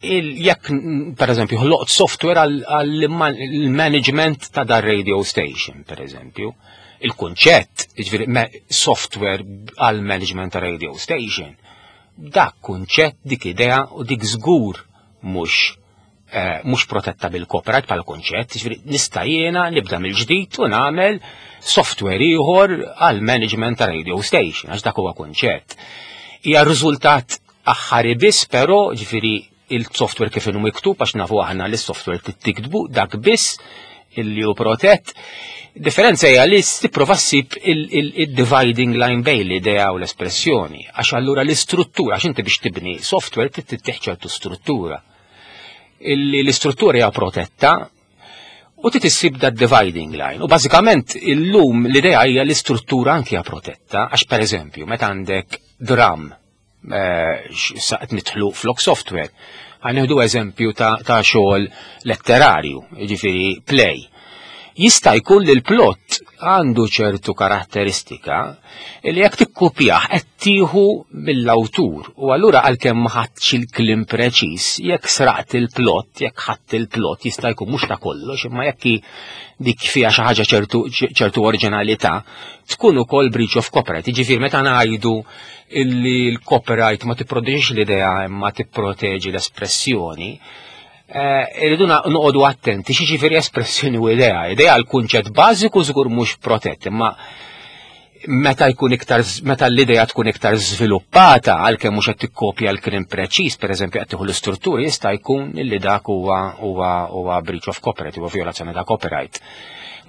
il- jekk per eżempju ħloqt software għall-management ta' dar radio station, per eżempju, Il-kunċett, jiġifieri software għal management ta' radio station, dak kunċett, dik idea u dik żgur mhux eh, mhux protetta bil-copyright bħala kunċett, jiġifieri nista' jiena nibda mill-ġdid u nagħmel software ieħor għal management ta' radio station, għax dak huwa kunċett. Hija riżultat aħħari biss, però ġifieri il-software kif inhu miktub, għax nafu aħna li s-software tiktbu dak biss illi hu protett. Differenza hija li tipprova ssib il-dividing line bejn l-idea u l-espressjoni, għax allura l-istruttura, għax inti biex tibni software trid tittieħ ċertu struttura. Illi l-istruttura hija protetta u trid issib da dividing line. U bażikament illum l-idea hija l-istruttura anki hija protetta, għax pereżempju meta għandek dram eh, saqt nidħlu flok software, ħa nieħdu eżempju ta', ta xogħol letterarju, jiġifieri play. Jista' jkun li l-plot għandu ċertu karatteristika li jekk tikkupjah qed tieħu mill-awtur u allura għalkemm ma ħadx il-kliem preċiż, jekk sraqt il-plot, jekk ħadd il-plot jista' jkun mhux ta' kollox, imma jekk dik fiha xi ħaġa ċertu ċertu oriġinalità, tkun ukoll breach of copyright. Jiġifieri meta ngħidu illi l-copyright ma tipproteġix l-idea imma tipproteġi l-espressjoni, eh, irridu noqogħdu attenti xi espressjoni u idea. Idea l-kunċett bażiku żgur mhux protett, imma meta jkun iktar meta l-idea tkun iktar żviluppata għalkemm mhux qed tikkopja l-kliem preċiż, pereżempju qed tieħu l-istrutturi, jista' jkun illi dak huwa huwa huwa breach of copyright, huwa violazzjoni ta' copyright.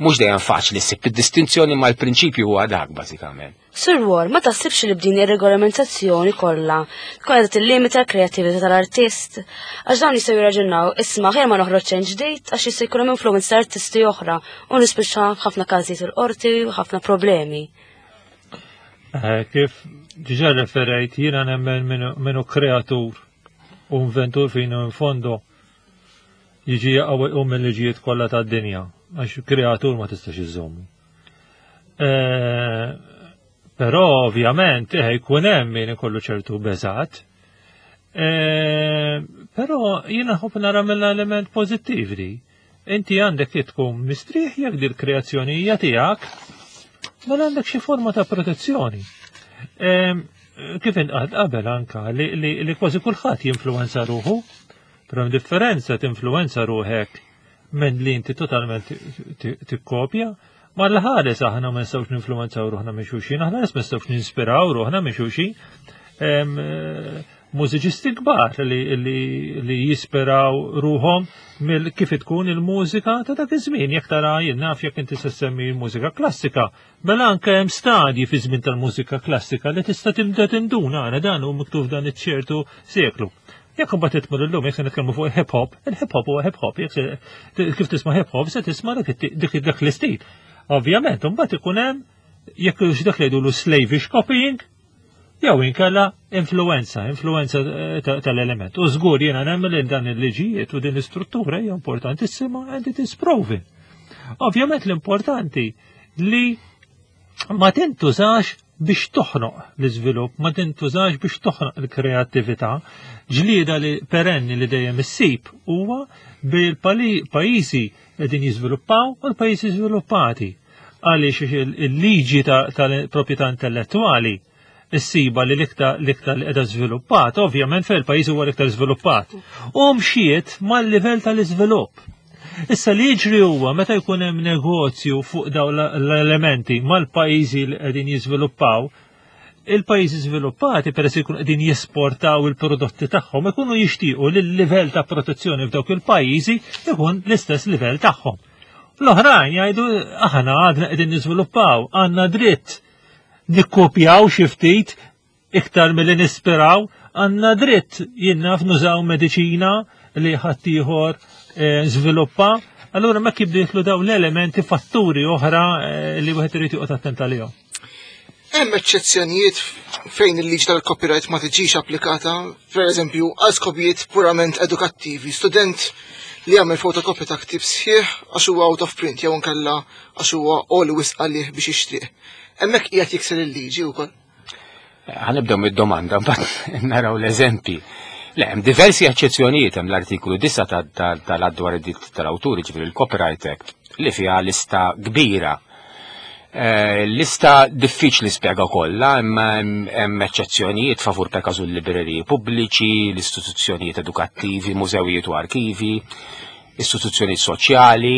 Mhux dejjem faċli ssib id-distinzjoni, ma l-prinċipju huwa dak bażikament. Sur War, ma taħsibx li b'din ir-regolamentazzjoni kollha tkun qed tillimita l-kreattività tal-artist? Għax dawn jistgħu jirraġunaw, isma' ħer ma noħroġ xejn ġdid għax jista' jkun hemm influenza artisti oħra u nispiċċa ħafna każijiet il-qorti u ħafna problemi. Eh, kif diġà referejt, jiena nemmen minnu kreatur u inventur fino in fondo jiġi jaqaw u mill-liġijiet kollha tad-dinja, għax kreatur ma tistax iżommu. Eh, però ovvjament eh, jkun hemm min ikollu ċertu beżat. Però jiena nħobb nara mill-element pożittiv li inti għandek tkun mistrieħ jekk dil kreazzjoni hija tiegħek, mela għandek xi forma ta' protezzjoni. Kif inqad qabel anka li, li, li kważi kulħadd jinfluwenza ruħu, però hemm differenza tinfluwenza ruħek minn li inti totalment tikkopja, ma l-ħares aħna ma nistgħux ninfluwenzaw ruħna minn xulxin, aħna ma nistgħux ninspiraw ruħna minn xulxin. Mużiċisti kbar li, li, li jispiraw ruħhom mill kif tkun il-mużika ta' dak iż-żmien. Jekk tara jien naf jekk inti se semmi l-mużika klassika, mela anke hemm stadji fi żmien tal-mużika klassika li tista' tibda tinduna għana dan hu miktub dan iċ-ċertu seklu. Jekk imbagħad titmur illum, jekk se nitkellmu fuq hip hop, il-hip hop huwa hip hop, jekk kif tisma' hip hop se tisma' dik dak l-istil. Ovvjament, imbagħad ikun hemm jekk dak li jgħidulu slavish copying, jew inkella influenza, influenza eh, tal-element. U żgur jiena nemmen li dan il-liġijiet u din l-istruttura hija importantissima and it is proven. Ovvjament l-importanti li ma tintużax biex toħnoq l-iżvilupp, ma tintużax biex toħnoq l-kreattività. Ġlieda li perenni li dejjem issib huwa bil-pajjiżi qegħdin jiżviluppaw u l-pajjiżi żviluppati. Għaliex il-liġi tal-proprjetà intellettwali issiba li l-iktar l-iktar li qiegħda żviluppat, ovvjament fejn il-pajjiż huwa l-iktar żviluppat. U mxiet mal-livell tal-iżvilupp. Issa li jiġri huwa meta jkun hemm negozju fuq dawn l-elementi mal-pajjiżi li qegħdin jiżviluppaw, il-pajjiżi żviluppati peress jkunu qegħdin jesportaw il-prodotti tagħhom ikunu jixtiequ li l-livell ta' protezzjoni f'dawk il-pajjiżi ikun l-istess livell tagħhom. L-oħrajn jgħidu aħna għadna qegħdin niżviluppaw, għandna dritt nikkopjaw xi ftit iktar milli nispiraw, għandna dritt jien naf nużaw mediċina li ħaddieħor eh, żviluppa. Allura ma kibdu jidħlu dawn l-elementi fatturi oħra eh, li wieħed irid joqgħod attent għalihom. Hemm eċċezzjonijiet fejn il-liġi tal-copyright ma tiġix applikata, per eżempju, għal skopijiet purament edukattivi. Student li jagħmel fotokopja ta' ktieb sħiħ għax huwa out of print jew inkella għax huwa għoli wisq għalih biex jixtrih. Hemmhekk qiegħed jikser il-liġi wkoll. Ħa nibdew mid-domanda, mbagħad naraw l-eżempi. Le, hemm diversi eċċezzjonijiet. Hemm l-artikolu disgħa tal-Att dwar id-dritt tal-awturi, ġifieri il-Copyright Act, li fiha lista kbira. Eh, lista diffiċli spjega kollha, imma hemm eċċezzjonijiet favur per każu l-libreriji pubbliċi, l-istituzzjonijiet edukattivi, mużewijiet u arkivi, istituzzjonijiet soċjali,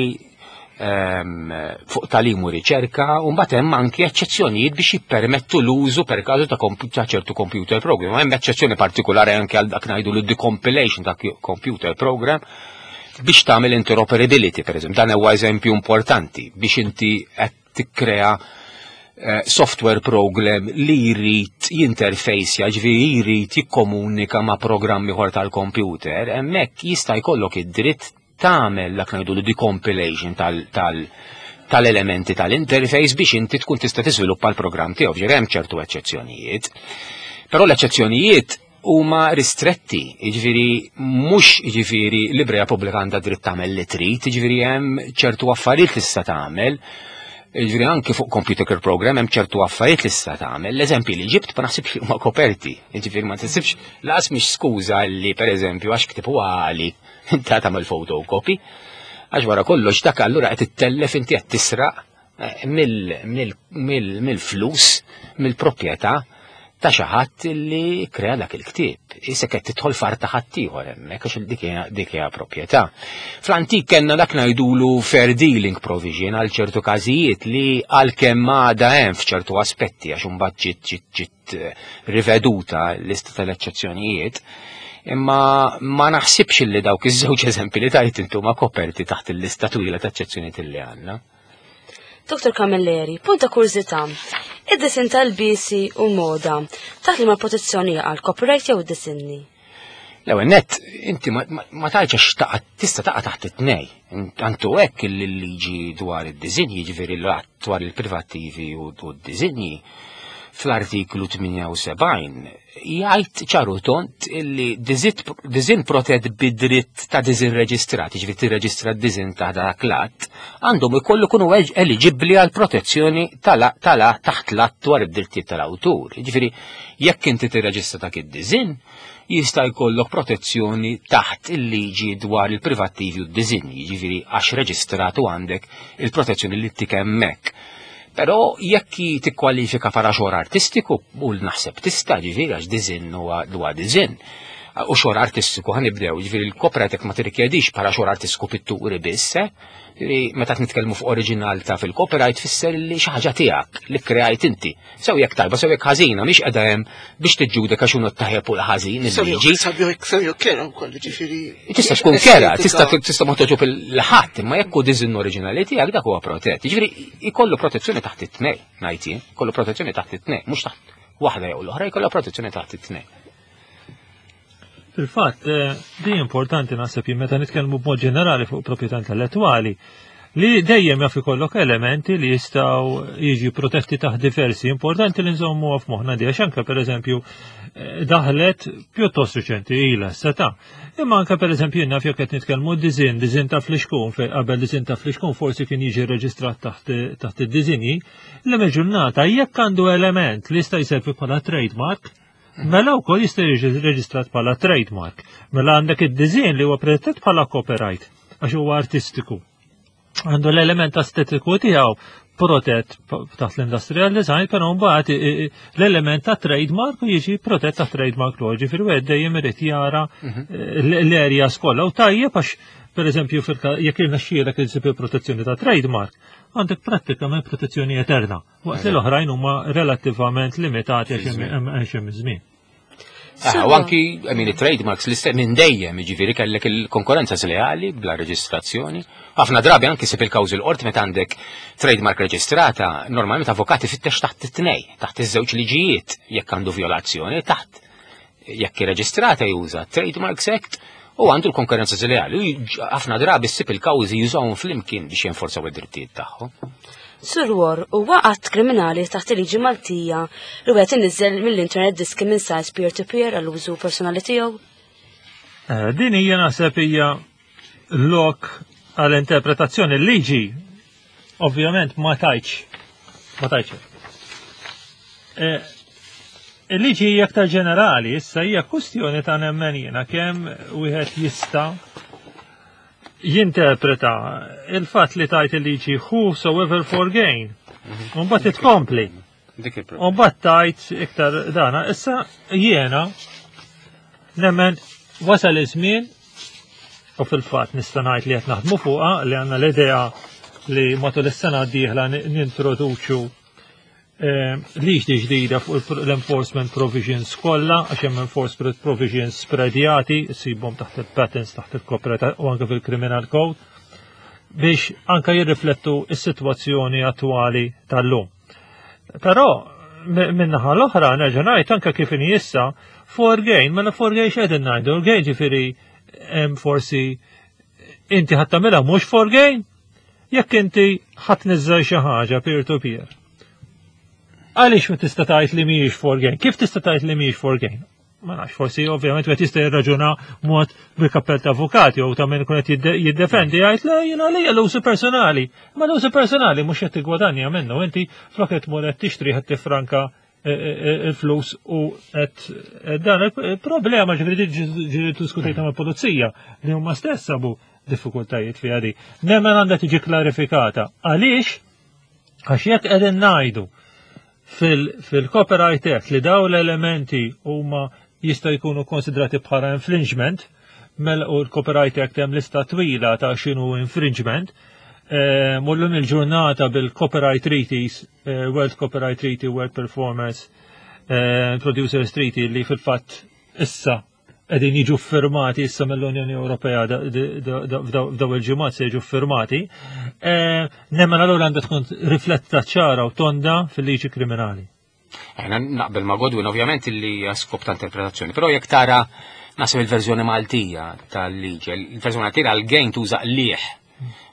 ehm, fuq tagħlim u riċerka, u mbagħad hemm anki eċċezzjonijiet biex jippermettu l-użu per każu ta' ta' ċertu computer program. Hemm eċċezzjoni partikolari anke għal dak ngħidu l-decompilation ta' computer program biex tagħmel interoperability, per eżempju. Dan huwa eżempju importanti biex inti qed tikkrea eh, software program li jrid jinterfejsja, ġifieri jrid jikkomunika ma' programmi ieħor tal-computer, hemmhekk jista' jkollok id-dritt tagħmel dak ngħidu l-decompilation tal- tal- tal-elementi tal-interface biex inti tkun tista' tiżviluppa l-programm tiegħu, ġifieri hemm ċertu eċċezzjonijiet. Però l-eċċezzjonijiet huma ristretti, jiġifieri mhux jiġifieri librerija pubblika għandha dritt tagħmel li trid, jiġifieri hemm ċertu affarijiet li tista' tagħmel. Jiġifieri anke fuq computer program hemm ċertu affarijiet li tista' tagħmel. L-eżempji li ġibt ma naħsibx li huma koperti. Jiġifieri ma tisibx laqas mhix skuża li pereżempju għax ktieb huwa għali inta tagħmel photocopy. Għax wara kollox dak allura qed ittellef, inti qed tisraq eh, mill-flus, mill-proprjetà ta' xi ħadd li krea dak il-ktieb. Issa qed tidħol f'art ta' ħadd ieħor hemmhekk għax dik hija dik hija proprjetà. Fl-antik kellna dak ngħidulu fair dealing provision għal ċertu każijiet li għalkemm għadha hemm f'ċertu aspetti, għax imbagħad ġiet ġiet ġiet eh, riveduta l-lista tal-eċċezzjonijiet. Imma ma naħsibx li dawk iż-żewġ eżempji li tajt intu ma koperti taħt il-lista twila ta' eċċezzjonijiet li għandna. Doktor Camilleri, punta kurżità. Id-disin tal-bisi u moda, taħt li ma protezzjoni għal copyright jew id-disinni? L-ewwel nett, inti ma, ma, ma tgħidx għax taqa' tista' taqa' taħt it-tnej. Antu hekk il-liġi dwar id-disinji, jiġifieri l-att dwar il-privattivi u d-disinji, fl-artiklu tmienja u sebgħin jgħid ċaru tond illi disinn protett bid-dritt ta' disinn reġistrat, jiġifieri tirreġistra d-disinn ta' dak l-att, għandhom ikollu kunu eliġibbli għal protezzjoni tala taħt l-att dwar id-drittijiet tal-awtur. Jiġifieri jekk inti tirreġistra dak id-disinn, jista' jkollok protezzjoni taħt il-liġi dwar il-privattivi u d-disinji, jiġifieri għax reġistratu għandek il-protezzjoni li tik hemmhekk. Però jekk tikkwalifika bħala xogħol artistiku, u naħseb tista', ġifieri għax disinn huwa huwa disinn. U xogħol artistiku ħa nibdew, ġifieri l-copyright ma tirrikjedix bħala xogħol artistiku pitturi biss, eh? Ġifieri meta nitkellmu fuq oriġinal ta' fil-copyright fisser li xi ħaġa tiegħek li kreajt inti. Sew jekk tajba, sew jekk ħażina, mhix qiegħda hemm biex tiġġudeka x'inhu t-tajjeb u l-ħażin il-liġi. Sew jekk kera wkoll, ġifieri. Tista' tkun kera, tista' tista' ma toġob il-ħadd, imma jekk hu disinn oriġinali tiegħek dak huwa protett. Ġifieri jkollu protezzjoni taħt it-tnej, ngħid jien, jkollu protezzjoni taħt it-tnej, mhux taħt waħda jew l-oħra, jkollha protezzjoni taħt it-tnej. Fil-fatt, eh, di importanti naħseb jien meta nitkellmu b'mod ġenerali fuq proprjetà intellettwali, li dejjem jaf ikollok elementi li jistgħu jiġi protetti taħt diversi. Importanti li nżommu f'moħħna di, għax anke pereżempju eh, daħlet pjuttost riċenti ilha seta. Imma anke pereżempju jien naf jekk qed nitkellmu disinn, disinn ta' flixkun, fejn qabel disinn ta' flixkun forsi kien jiġi reġistrat taħt taħt id-disinji, li ġurnata jekk għandu element li jista' jservi bħala trademark, mela wkoll jista' jiġi reġistrat bħala trademark. Mela għandek id-disinn li huwa protett bħala copyright għax huwa artistiku. Għandu l-element estetiku tiegħu protett taħt l-industrial design, però mbagħad l-element ta' trademark jiġi protett ta' trademark law, ġifieri wieħed dejjem irid jara mhm. l-area kollha. U tajjeb għax pereżempju jekk irnexxielek insib il-protezzjoni ta' trademark, għandek prattikament protezzjoni eterna, waqt li l-oħrajn huma relattivament limitati għax hemm żmien. Ah, u anki, I mean, trademarks li minn dejjem, ġifieri kellek il-konkurrenza sleali bla reġistrazzjoni. Ħafna drabi anki sib il-kawżi l-qorti meta għandek trademark reġistrata, normalment avukati fittex taħt it-tnej, taħt iż-żewġ liġijiet jekk għandu violazzjoni, taħt jekk irreġistrata juża Trademarks Act u għandu l-konkurrenza sleali. Ħafna drabi ssib il-kawżi jużawhom flimkien biex jenforzaw id-drittijiet tagħhom. Sur War, huwa att kriminali taħt il-liġi Maltija li wieħed iniżżel mill-internet diski minn sites peer-to-peer għall-użu personali tiegħu? Eh, din hija naħseb hija lok għall-interpretazzjoni. L-liġi ovvjament ma tajċ. Ma tajċ. Eh, il-liġi hija aktar ġenerali, issa hija kwestjoni ta' nemmen jiena kemm wieħed jista' jinterpreta il-fatt li tajt il-liġi whosoever for gain. U mbagħad tkompli. Dik il-problema. U mbagħad tajt iktar dana. Issa jiena nemmen wasal iż-żmien u fil-fatt nista' ngħid li qed naħdmu fuqha, li għandna l-idea li matul is-sena d-dieħla nintroduċu eh, liġi ġdida fuq l-enforcement provisions kollha, għax hemm enforcement provisions spredjati, issibhom taħt il-patents, taħt il-copyright u anke fil-criminal code, biex anke jirriflettu s-sitwazzjoni attwali tal-lum. Però minnaħa l-oħra nerġa' ngħid, anke kif inhi issa, for gain, mela for gain x'qegħdin ngħidu? Gain ġifieri hemm forsi inti ħadd tagħmilha mhux for gain, jekk inti ħadd niżżel xi ħaġa peer to peer. Għaliex ma tista' tgħid li mhijiex for gain? Kif tista' tgħid li mhijiex for gain? Ma nafx, forsi ovvjament wieħed jista' jirraġuna mod bil-kappell ta' avukati jew ta' min ikun qed jiddefendi, jgħid: "Le, jiena għalija l-użu personali." Ma l-użu personali mhux qed tiggwadanja minnu, inti flok qed tmur qed tixtri qed tifranka eh, eh, il-flus u qed dan il-problema. Ġifieri ġifieri diskutejta mal-pulizija li huma stess sabu diffikultajiet fi għadi. Nemmen għandha tiġi klarifikata. Għaliex? Għax jekk qegħdin ngħidu fil-Copyright Act li daw l-elementi huma jista' jkunu konsidrati bħala infringement, mela u l-Copyright Act hemm lista twila ta' x'inhu infringement, eh, mullum il-ġurnata bil-Copyright Treaties, eh, World Copyright Treaty, World Performance eh, Producers Treaty, li fil-fatt issa qegħdin jiġu firmati issa mill-Unjoni Ewropea, f'daw il-ġimgħat se jiġu firmati, nemmen allura għandha tkun rifletta ċara u tonda fil-liġi kriminali. Ejna naqbel ma' Godwin, ovvjament li skop ta' interpretazzjoni, però jekk tara naħseb il-verżjoni Maltija tal-liġi, il-verżjoni Maltija għal-gain tuża qligħ,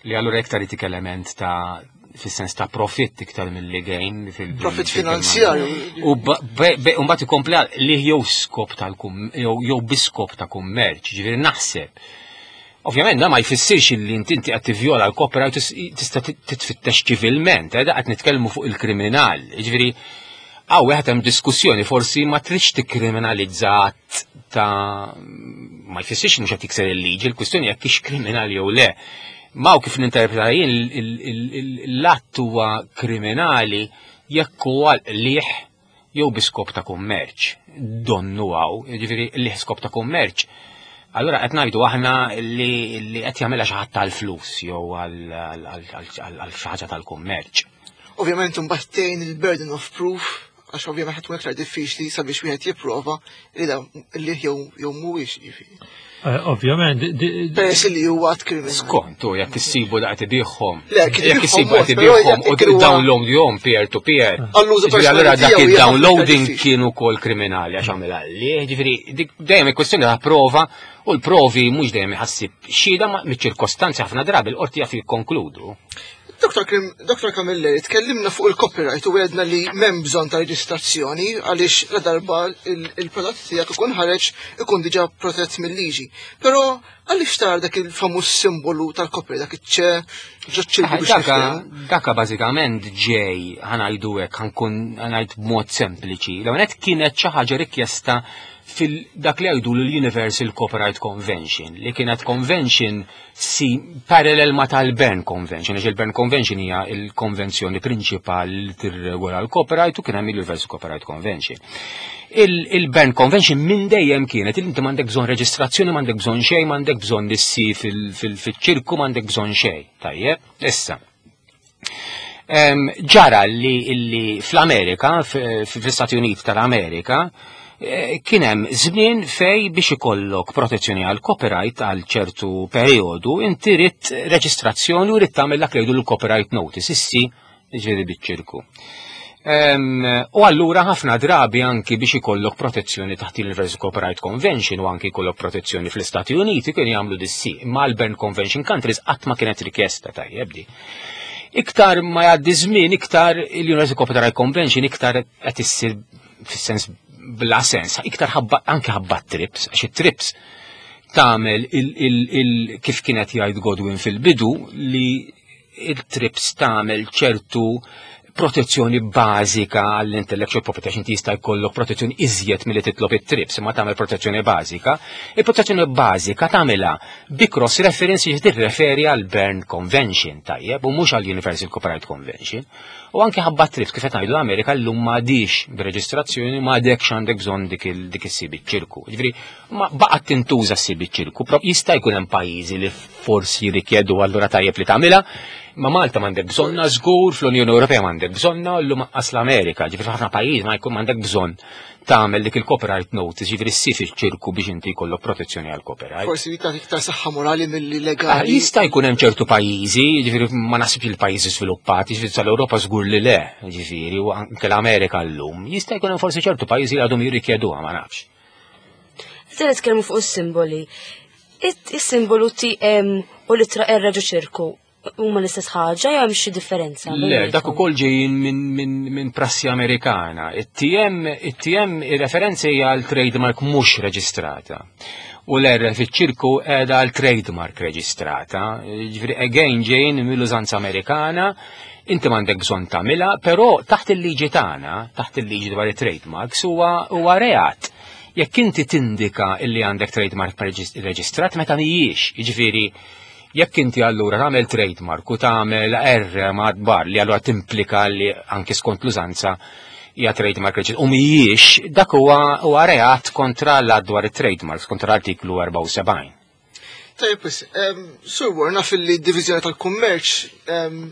li allura iktar itik element ta' fis-sens ta' profitt iktar mill-li gain. Profit finanzjarju. U mbagħad ikompli li jew skop tal jew bi skop ta' kummerċ, ġifieri naħseb. Ovvjament, da ma jfissirx li inti inti qed tivjola l-copyright tista' titfittex ċivilment, eh, da qed nitkellmu fuq il-kriminal. Ġifieri hawn wieħed hemm diskussjoni, forsi ma tridx tikkriminalizzat ta' ma jfissirx mhux qed tikser il-liġi, il-kwistjoni jekk hix kriminali jew le. Ma kif ninterpreta jien, l-att huwa kriminali jekk huwa qligħ jew bi skop ta' kummerċ. Donnu hawn, ġifieri qligħ skop ta' kummerċ. Allora qed ngħidu aħna li qed jagħmilha xi ħadd tal-flus jew għal xi ħaġa tal-kummerċ. Ovvjament mbagħad tgħin il-burden of proof, għax ovvjament ħadd iktar diffiċli sabiex wieħed jipprova li da li jew jew mhuwiex, jiġifieri. Eh, ovvjament, Peress li huwa att kriminali. Skont, u jekk issibu daqt ibiħhom. Le, kif Jekk issibu ibiħhom qed mod, però ibiħhom u jekk huwa- download jom peer to peer. Għall-użu Ġifieri allura personali dak tiegħu hija ħafna iktar il-downloading diffiċli. kienu kol kriminali għax għamilha li, ġifieri dik dejjem il-kwestjoni ta' prova, u l-provi mhux dejjem iħassib xhieda ma miċ-ċirkostanzi ħafna drabi l-qorti jaf jikkonkludu. Doktor Krim, Doktor Camilleri, tkellimna fuq il-copyright u għedna li m'hemm bżonn ta' reġistrazzjoni għaliex la darba il- il-prodott tiegħek ikun ħareġ ikun diġà protett mill-liġi. Però għaliex tar dak il-famuż simbolu tal-copyright, dak iċ-ċe ġoċ biex Daka, niftehmu? Daka bażikament ġej, ħa ngħidu hekk, ħa nkun ħa ngħid b'mod sempliċi. L-ewwel kienet xi ħaġa rikjesta fil-dak li jgħidu l-Universal Copyright Convention, li kienet convention si parallel ma tal-Berne Convention, għax il-Berne Convention hija il-konvenzjoni prinċipali li tirregola l-copyright u kien hemm il-Universal Copyright Convention. Il- Il-Berne Convention minn dejjem kienet il inti m'għandek bżonn reġistrazzjoni, m'għandek bżonn xejn, m'għandek bżonn issi fil-ċirku, m'għandek bżonn xejn. Tajjeb, issa. Em, Ġara li, li fl-Amerika, f- fl-Istati Uniti tal-Amerika, eh, kien hemm żmien fej biex ikollok protezzjoni għal copyright għal ċertu periodu, inti ridt reġistrazzjoni u ridt tagħmel dak li jgħidu l-copyright notice, issi ġifieri biċ-ċirku. Em, U allura ħafna drabi anki biex ikollok protezzjoni taħt il-Universal Copyright Convention u anki ikollok protezzjoni fl-Istati Uniti kienu jagħmlu dissi. Ma l-Berne Convention countries qatt ma kienet rikjesta, tajjeb di. Iktar ma jgħaddi żmien, iktar il-Universal Copyright Convention iktar qed issir fis-sens bla sens, iktar ħabba anke ħabba TRIPS, għax it-TRIPS tagħmel il, il, il, kif kienet jgħid Godwin fil-bidu, li il-TRIPS tagħmel ċertu protezzjoni bażika għall-intellectual property, għax inti jista' jkollok protezzjoni iżjed milli titlob it-TRIPS, imma tagħmel protezzjoni bażika. Il-protezzjoni bażika tagħmilha bi cross reference li tirreferi għal Berne Convention, tajjeb, u mhux għal Universal Copyright Convention. U anke ħabba TRIPS, kif qed ngħidu, l-Amerika llum m'għadix b'reġistrazzjoni, m'għadekx għandek bżonn dik il- dik is-C biċ-ċirku. Ġifieri ma baqgħet tintuża s-C biċ-ċirku, pro jista' jkun hemm pajjiżi li forsi jirrikjedu, allura tajjeb li tagħmilha, ma Malta m'għandek bżonna żgur, fl-Unjoni Ewropea m'għandek bżonna, llum anqas l-Amerika, ġifieri ħafna pajjiż ma jkun m'għandek bżonn tagħmel dik il-copyright notice, ġifieri s-C fiċ-ċirku biex inti jkollok protezzjoni għal copyright. Forsi tagħti iktar saħħa morali milli Ah, legali. Jista' jkun hemm ċertu pajjiżi, ġifieri ma naħsibx il-pajjiżi sviluppati, ġifieri tal-Ewropa żgur li le, ġifieri u anke l-Amerika llum. Jista' jkun hemm forsi ċertu pajjiżi li għadhom jirrikjeduha, ma nafx. Se nitkellmu fuq is-simboli. Is-simbolu T M u l-ittra R ġo ċirku huma l-istess ħaġa jew hemm xi differenza? Le, dak ukoll ġejjin minn min, min prassi Amerikana. It-T M, it-T M ir-referenza hija għal trademark mhux reġistrata. U l-R fiċ-ċirku qiegħda għal trademark reġistrata. Ġifieri again ġejjin mill-użanza Amerikana, inti m'għandek bżonn tagħmilha, però taħt il-liġi tagħna, taħt il-liġi dwar it-trademarks huwa huwa reat jekk inti tindika illi għandek trademark reġistrat meta mhijiex, jiġifieri jekk inti allura tagħmel trademark u tagħmel R madbar li allura timplika li anki skont l-użanza hija trademark reġistrat u mhijiex, dak huwa huwa reat kontra l dwar it-trademarks, kontra l-artiklu erbgħa u sebgħin. Tajjeb, wis, Sur War, naf li d-Divizjoni tal-Kummerċ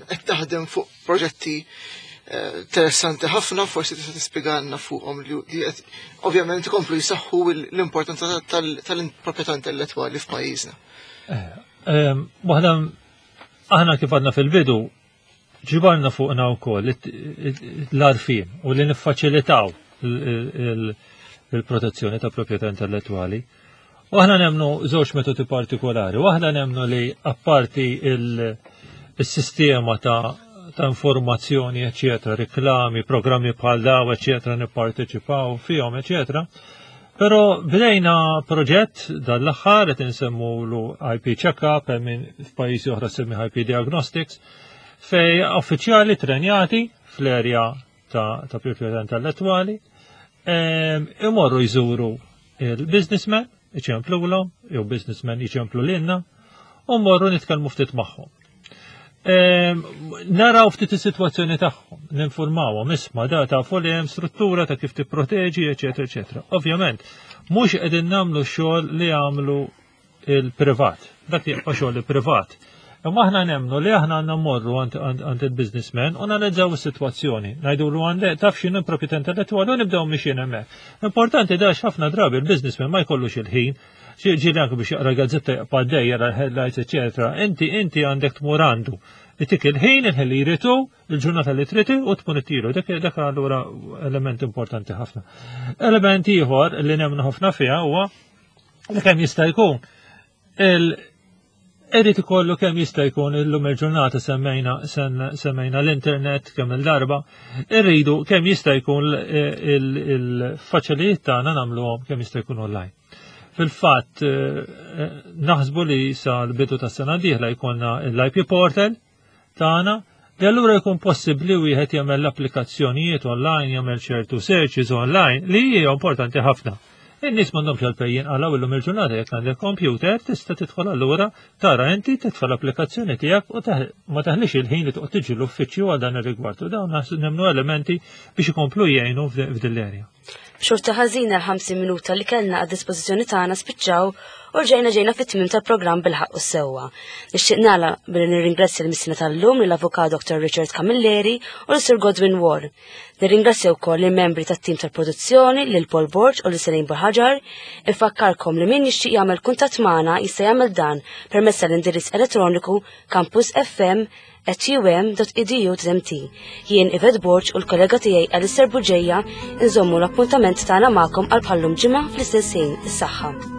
qed taħdem fuq proġetti eh, interessanti ħafna, forsi tista' tispjegalna fuqhom li qed ovvjament ikomplu jsaħħu l-importanza tal-proprjetà intellettwali f'pajjiżna. Waħda, aħna kif għadna fil-bidu, ġibarna fuqna wkoll l-għarfien u li niffaċilitaw il-protezzjoni ta' proprjetà intellettwali. U aħna nemnu żewġ metodi partikolari. Waħda, nemnu li apparti il-sistema ta' ta' informazzjoni, eccetera, reklami, programmi bħal daw, eccetera, nipparteċipaw fihom, eccetera. Però bdejna proġett dal-aħħar qed insemmulu I P Checkup, hemm min f'pajjiżi oħra semmi I P Diagnostics, fej uffiċjali trenjati fl-erja ta', ta' proprjetà intellettwali imorru jżuru il-businessmen, iċemplulhom, jew businessmen iċemplu lilna, u mmorru nitkellmu ftit magħhom. Naraw ftit is-sitwazzjoni tagħhom, ninformawhom, isma' da tafu li hemm struttura ta' kif tipproteġi, eċetera, eċetera. Ovvjament, mhux qegħdin nagħmlu xogħol li jagħmlu il-privat, dak jibqa' xogħol il-privat. Imma aħna nemnu li aħna għandna mmorru għand il-businessman u nanalizzaw is-sitwazzjoni. Ngħidulu għandek taf x'inhu proprjetà intellettwali u nibdew mixjin hemmhekk. Importanti dax ħafna drabi il-businessman ma jkollux il-ħin, ġieli anke biex jaqra gazzetta jaqpa' jara l-headlights, eċetera. Inti inti għandek tmur għandu. Itik il-ħin, il-ħin li jritu, il-ġurnata li triti u tkun ittilu. Dak dak allura element importanti ħafna. Element ieħor li nemnu ħafna fiha huwa li kemm jista' jkun il Irrid ikollu kemm jista' jkun, illum il-ġurnata semmejna semmejna l-internet kemm il-darba, irridu kemm jista' jkun il-faċilijiet tagħna nagħmluhom kemm jista' jkun online. Fil-fatt eh, naħsbu li sa l-bidu tas sena dieħla jkollna l-I P portal tagħna li allura jkun possibbli wieħed jagħmel l-applikazzjonijiet online, jagħmel ċertu searches online li hija importanti ħafna. In-nies m'għandhomx għalfejn jinqalgħu illum il-ġurnata, jekk għandek computer tista' tidħol allura tara inti titfa' l-applikazzjoni tiegħek u ma taħlix il-ħin li toqgħod tiġi l-uffiċċju għal dan ir-rigward. U dawn nemmnu elementi biex ikomplu jgħinu f'din l-erja. B'xorta ħażina l-ħamsin minuta li kellna għad dispożizzjoni tagħna spiċċaw u ġejna ġejna fit-tmim tal-programm Bil-Ħaqq u Sewwa. Nixtieq nagħlaq billi nirringrazzja l-missina tal-lum, lill-Avukat Doctor Richard Camilleri u l-Sir Godwin War. Nirringrazzja wkoll il-membri tat-tim tal-produzzjoni, lil Paul Borg u lil Selin Buhagiar. Infakkarkom li min jixtieq jagħmel kuntatt magħna jista' jagħmel dan permezz tal-indirizz elettroniku campusfm at um dot edu dot M T. Jien Yvette Borg u l-kollega tiegħi Alistair Bugeja nżommu l-appuntament tagħna magħkom għal bħallum ġimgħa fl-istess ħin. Is-saħħa.